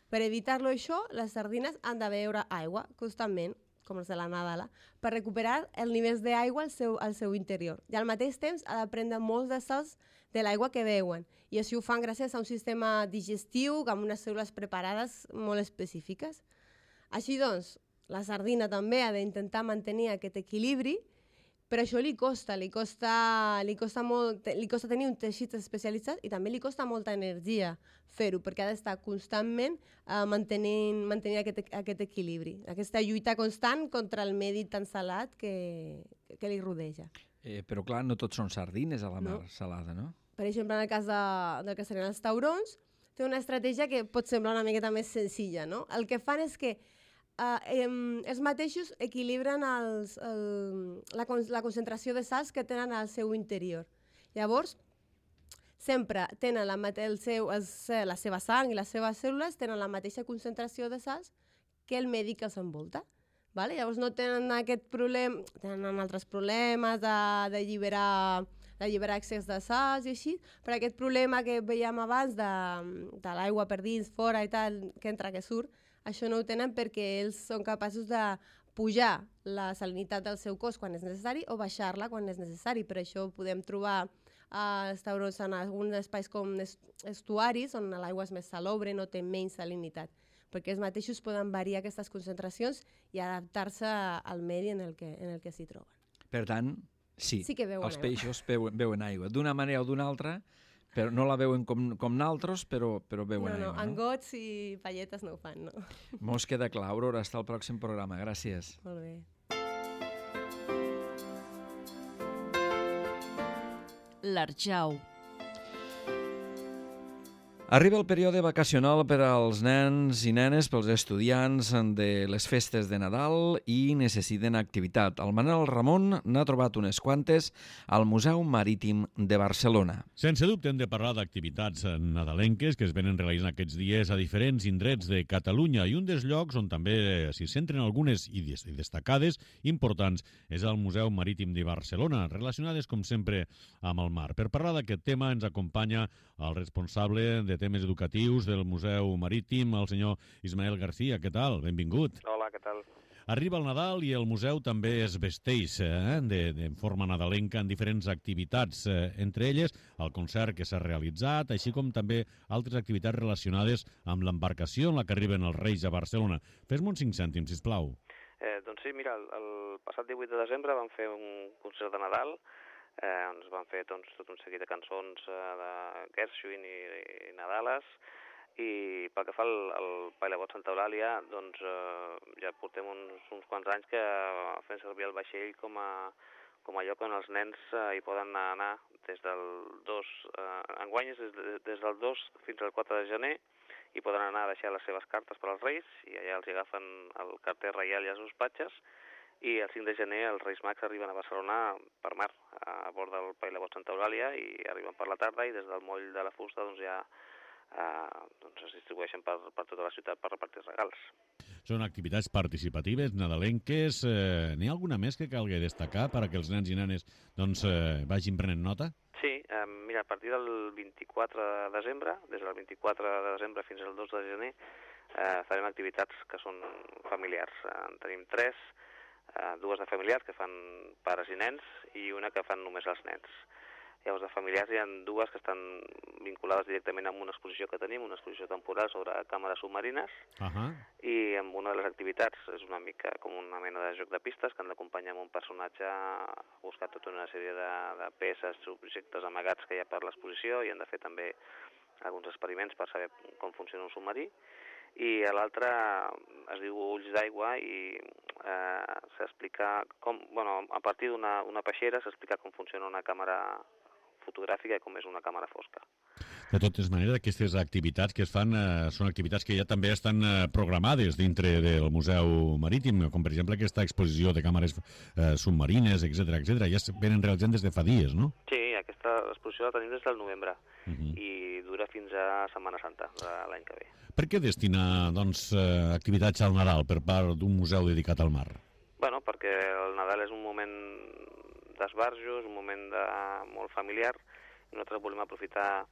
Per evitar-lo això, les sardines han de beure aigua constantment, com els de la Nadala, per recuperar el nivell d'aigua al, seu, al seu interior. I al mateix temps ha de prendre molts de sals de l'aigua que beuen. I així ho fan gràcies a un sistema digestiu amb unes cèl·lules preparades molt específiques. Així doncs, la sardina també ha d'intentar mantenir aquest equilibri, però això li costa, li costa, li costa, molt, li costa tenir un teixit especialitzat i també li costa molta energia fer-ho, perquè ha d'estar constantment uh, mantenint, mantenint aquest, aquest equilibri, aquesta lluita constant contra el medi tan salat que, que li rodeja. Eh, però clar, no tots són sardines a la mar no. salada, no? Per exemple, en el cas de, del que serien els taurons, té una estratègia que pot semblar una miqueta més senzilla, no? El que fan és que Uh, eh, els mateixos equilibren els, el, la, la concentració de sals que tenen al seu interior. Llavors, sempre tenen la, el seu, el, la seva sang i les seves cèl·lules tenen la mateixa concentració de sals que el medi que els envolta. Vale? Llavors no tenen aquest problema, tenen altres problemes d'alliberar d'alliberar excés de sals i així, però aquest problema que veiem abans de, de l'aigua per dins, fora i tal, que entra, que surt, això no ho tenen perquè ells són capaços de pujar la salinitat del seu cos quan és necessari o baixar-la quan és necessari. Per això podem trobar eh, estaurons en alguns espais com estuaris, on l'aigua és més salobre, no té menys salinitat, perquè els mateixos poden variar aquestes concentracions i adaptar-se al medi en el que, en el que s'hi troben. Per tant, sí, sí que veuen els aigua. peixos veuen, veuen aigua, d'una manera o d'una altra, però no la veuen com, com naltros, però, però veuen no, no, aigua. No, angots i palletes no ho fan, no. Mos queda clar. Aurora, hasta el pròxim programa. Gràcies. Molt bé. L'Arjau. Arriba el període vacacional per als nens i nenes, pels estudiants de les festes de Nadal i necessiten activitat. El Manel Ramon n'ha trobat unes quantes al Museu Marítim de Barcelona. Sense dubte hem de parlar d'activitats nadalenques que es venen realitzant aquests dies a diferents indrets de Catalunya i un dels llocs on també s'hi centren algunes i destacades importants és el Museu Marítim de Barcelona, relacionades com sempre amb el mar. Per parlar d'aquest tema ens acompanya el responsable de temes educatius del Museu Marítim, el senyor Ismael García. Què tal? Benvingut. Hola, què tal? Arriba el Nadal i el museu també es vesteix eh, de, de forma nadalenca en diferents activitats, eh, entre elles el concert que s'ha realitzat, així com també altres activitats relacionades amb l'embarcació en la que arriben els Reis a Barcelona. Fes-me uns cinc cèntims, sisplau. Eh, doncs sí, mira, el, el passat divuit de desembre vam fer un concert de Nadal, eh, on es van fer doncs, tot un seguit de cançons eh, de Gershwin i, i Nadales, i pel que fa al, al Pailabot Santa Eulàlia, doncs eh, ja portem uns, uns quants anys que fem servir el vaixell com a, com a lloc on els nens eh, hi poden anar des del dos, eh, enguany és des, des del dos fins al quatre de gener, i poden anar a deixar les seves cartes per als Reis, i allà els agafen el carter reial i els despatxes, i el cinc de gener els Reis Mags arriben a Barcelona per mar, a bord del Pailabot Santa Eulàlia, i arriben per la tarda, i des del moll de la fusta doncs, ja eh, doncs es distribueixen per, per tota la ciutat per repartir regals. Són activitats participatives, nadalenques. Eh, N'hi ha alguna més que calgui destacar perquè els nens i nenes doncs, eh, vagin prenent nota? Sí, eh, mira, a partir del vint-i-quatre de desembre, des del vint-i-quatre de desembre fins al dos de gener, eh, farem activitats que són familiars. Eh, en tenim tres, eh, dues de familiars que fan pares i nens i una que fan només els nens. Llavors, de familiars hi ha dues que estan vinculades directament amb una exposició que tenim, una exposició temporal sobre càmeres submarines, uh-huh. i amb una de les activitats és una mica com una mena de joc de pistes que han d'acompanyar amb un personatge a buscar tota una sèrie de, de peces, objectes amagats que hi ha per l'exposició, i han de fer també alguns experiments per saber com funciona un submarí. I l'altre es diu Ulls d'aigua i eh, s'explica com, bueno, a partir d'una una peixera s'explica com funciona una càmera fotogràfica i com és una càmera fosca. De totes maneres, aquestes activitats que es fan eh, són activitats que ja també estan eh, programades dintre del Museu Marítim, com per exemple aquesta exposició de càmeres eh, submarines, etcètera, etcètera. Ja es venen realitzant des de fa dies, no? Sí, aquesta exposició la tenim des del novembre uh-huh. i dura fins a Setmana Santa de l'any que ve. Per què destinar doncs, eh, activitats al Nadal per part d'un museu dedicat al mar? Bueno, perquè el Nadal és un moment d'esbarjo, és un moment de... molt familiar, i nosaltres volem aprofitar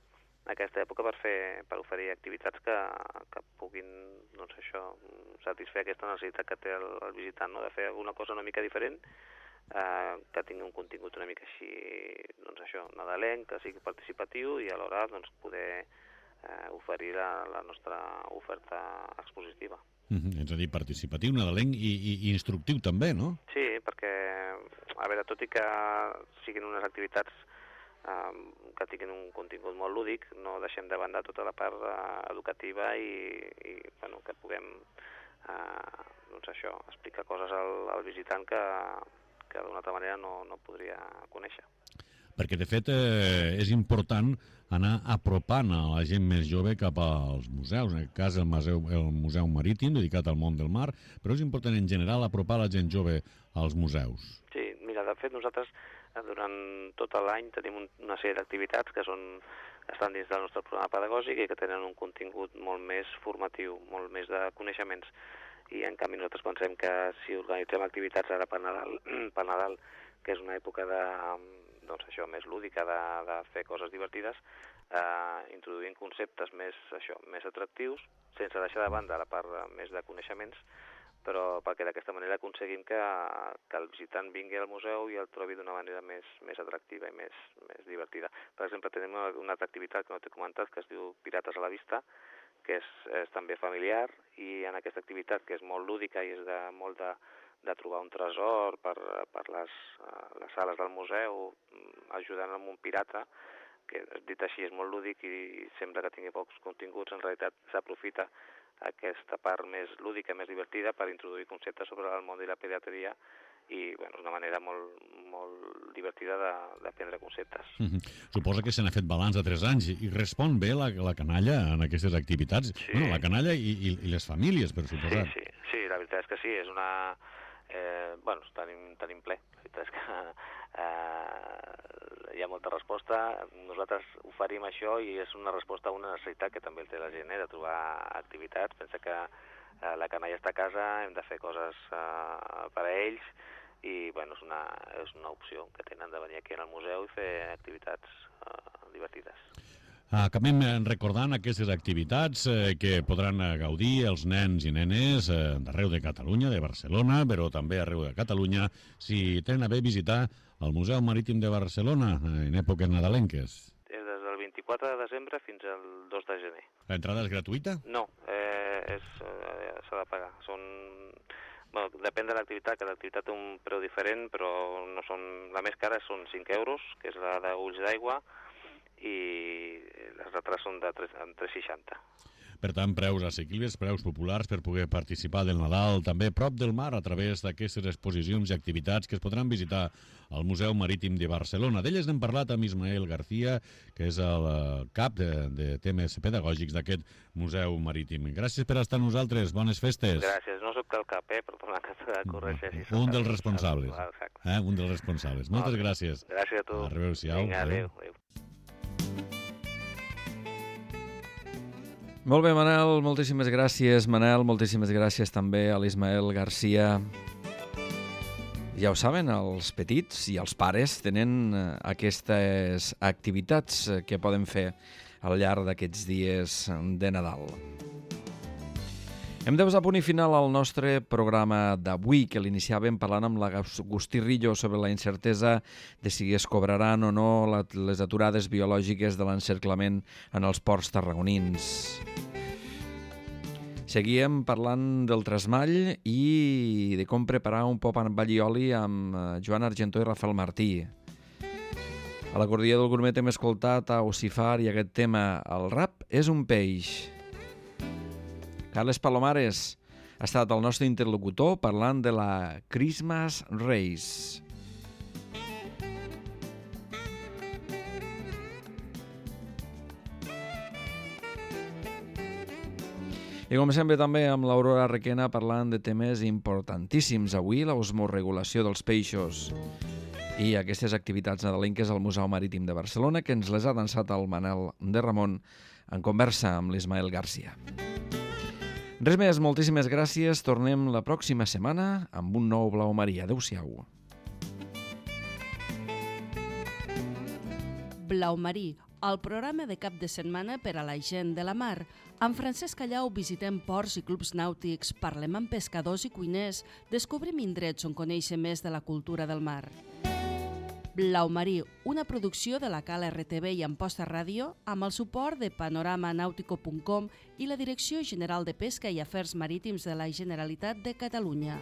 aquesta època per fer per oferir activitats que, que puguin doncs això, satisfer aquesta necessitat que té el, el visitant, no? De fer alguna cosa una mica diferent, eh, que tingui un contingut una mica així, doncs això, nadalenc, que sigui participatiu, i alhora doncs, poder eh, oferir la, la nostra oferta expositiva. Mm-hmm. És a dir, participatiu, nadalenc i, i, i instructiu també, no? Sí, perquè, a veure, tot i que siguin unes activitats eh, que tinguin un contingut molt lúdic, no deixem de banda tota la part eh, educativa i, i bueno, que puguem eh, doncs això, explicar coses al, al visitant que, que d'una altra manera no, no podria conèixer. Perquè, de fet, eh, és important anar apropant a la gent més jove cap als museus, en aquest cas el Museu, el Museu Marítim, dedicat al món del mar, però és important en general apropar la gent jove als museus. Sí, mira, de fet nosaltres durant tot l'any tenim un, una sèrie d'activitats que són, estan dins del nostre programa pedagògic i que tenen un contingut molt més formatiu, molt més de coneixements. I en canvi nosaltres pensem que si organitzem activitats ara per Nadal, per Nadal, que és una època de, doncs això, més lúdica, de, de fer coses divertides, eh, introduint conceptes més, això, més atractius, sense deixar de banda la part més de coneixements, però perquè d'aquesta manera aconseguim que, que el visitant vingui al museu i el trobi d'una manera més, més atractiva i més, més divertida. Per exemple, tenim una, una altra activitat que no t'he comentat, que es diu Pirates a la Vista, que és, és també familiar, i en aquesta activitat, que és molt lúdica i és de, molt de, de trobar un tresor per, per les, les sales del museu, ajudant amb un pirata, que dit així és molt lúdic i sembla que tingui pocs continguts, en realitat s'aprofita aquesta part més lúdica, més divertida, per introduir conceptes sobre el món de la pirateria i bueno, és una manera molt, molt divertida d'aprendre conceptes. Mm-hmm. Suposa que se n'ha fet balanç de tres anys i respon bé la, la canalla en aquestes activitats. Sí. Bueno, la canalla i, i, i les famílies, per suposar. Sí, sí, sí, la veritat és que sí, és una... Eh, bueno, tenim, tenim ple. La veritat és que eh, hi ha molta resposta. Nosaltres oferim això i és una resposta a una necessitat que també el té la gent, eh, de trobar activitats. Pensa que eh, la canalla està a casa, hem de fer coses eh, per a ells i bueno, és, una, és una opció que tenen de venir aquí al museu i fer activitats eh, divertides. Acabem recordant aquestes activitats eh, que podran gaudir els nens i nenes eh, d'arreu de Catalunya, de Barcelona, però també arreu de Catalunya, si tenen a bé visitar el Museu Marítim de Barcelona eh, en èpoques nadalenques. És des del vint-i-quatre de desembre fins al dos de gener. L'entrada és gratuïta? No, eh, és, eh, s'ha de pagar. Són... Bueno, depèn de l'activitat, que l'activitat té un preu diferent, però no són... la més cara són cinc euros, que és la d'Ulls d'Aigua, i les altres són de tres coma seixanta. Per tant, preus assequibles, preus populars per poder participar del Nadal, també prop del mar, a través d'aquestes exposicions i activitats que es podran visitar al Museu Marítim de Barcelona. D'elles n'hem parlat amb Ismael García, que és el cap de, de temes pedagògics d'aquest Museu Marítim. Gràcies per estar amb nosaltres, bones festes. Gràcies, no soc del cap, eh, per donar que corregeixi. Un dels responsables. Eh? Un dels responsables. Moltes gràcies. Gràcies a tu. Adéu-siau. Vinga, adéu. adéu. Molt bé, Manel, moltíssimes gràcies. Manel, moltíssimes gràcies també a l'Ismael García. Ja ho saben, els petits i els pares tenen aquestes activitats que poden fer al llarg d'aquests dies de Nadal. Hem de posar punt i final al nostre programa d'avui, que l'iniciàvem parlant amb l'Agustí Rillo sobre la incertesa de si es cobraran o no les aturades biològiques de l'encerclament en els ports tarragonins. Seguíem parlant del trasmall i de com preparar un pop amb allioli amb Joan Argentó i Rafael Martí. A l'acordia del gourmet hem escoltat a Ocifar i aquest tema, el rap és un peix. Carles Palomares ha estat el nostre interlocutor parlant de la Christmas Race. I com sempre també amb l'Aurora Requena parlant de temes importantíssims avui, l'osmoregulació dels peixos i aquestes activitats nadalenques al Museu Marítim de Barcelona, que ens les ha dansat el Manel de Ramon en conversa amb l'Ismael García. Res més, moltíssimes gràcies. Tornem la pròxima setmana amb un nou Blau Marí. Adéu-siau. Blau Marí, el programa de cap de setmana per a la gent de la mar. Amb Francesc Callau visitem ports i clubs nàutics, parlem amb pescadors i cuiners, descobrim indrets on conèixer més de la cultura del mar. Blau Marí, una producció de la Cal R T V i Amposta Ràdio, amb el suport de panorama nautico punt com i la Direcció General de Pesca i Afers Marítims de la Generalitat de Catalunya.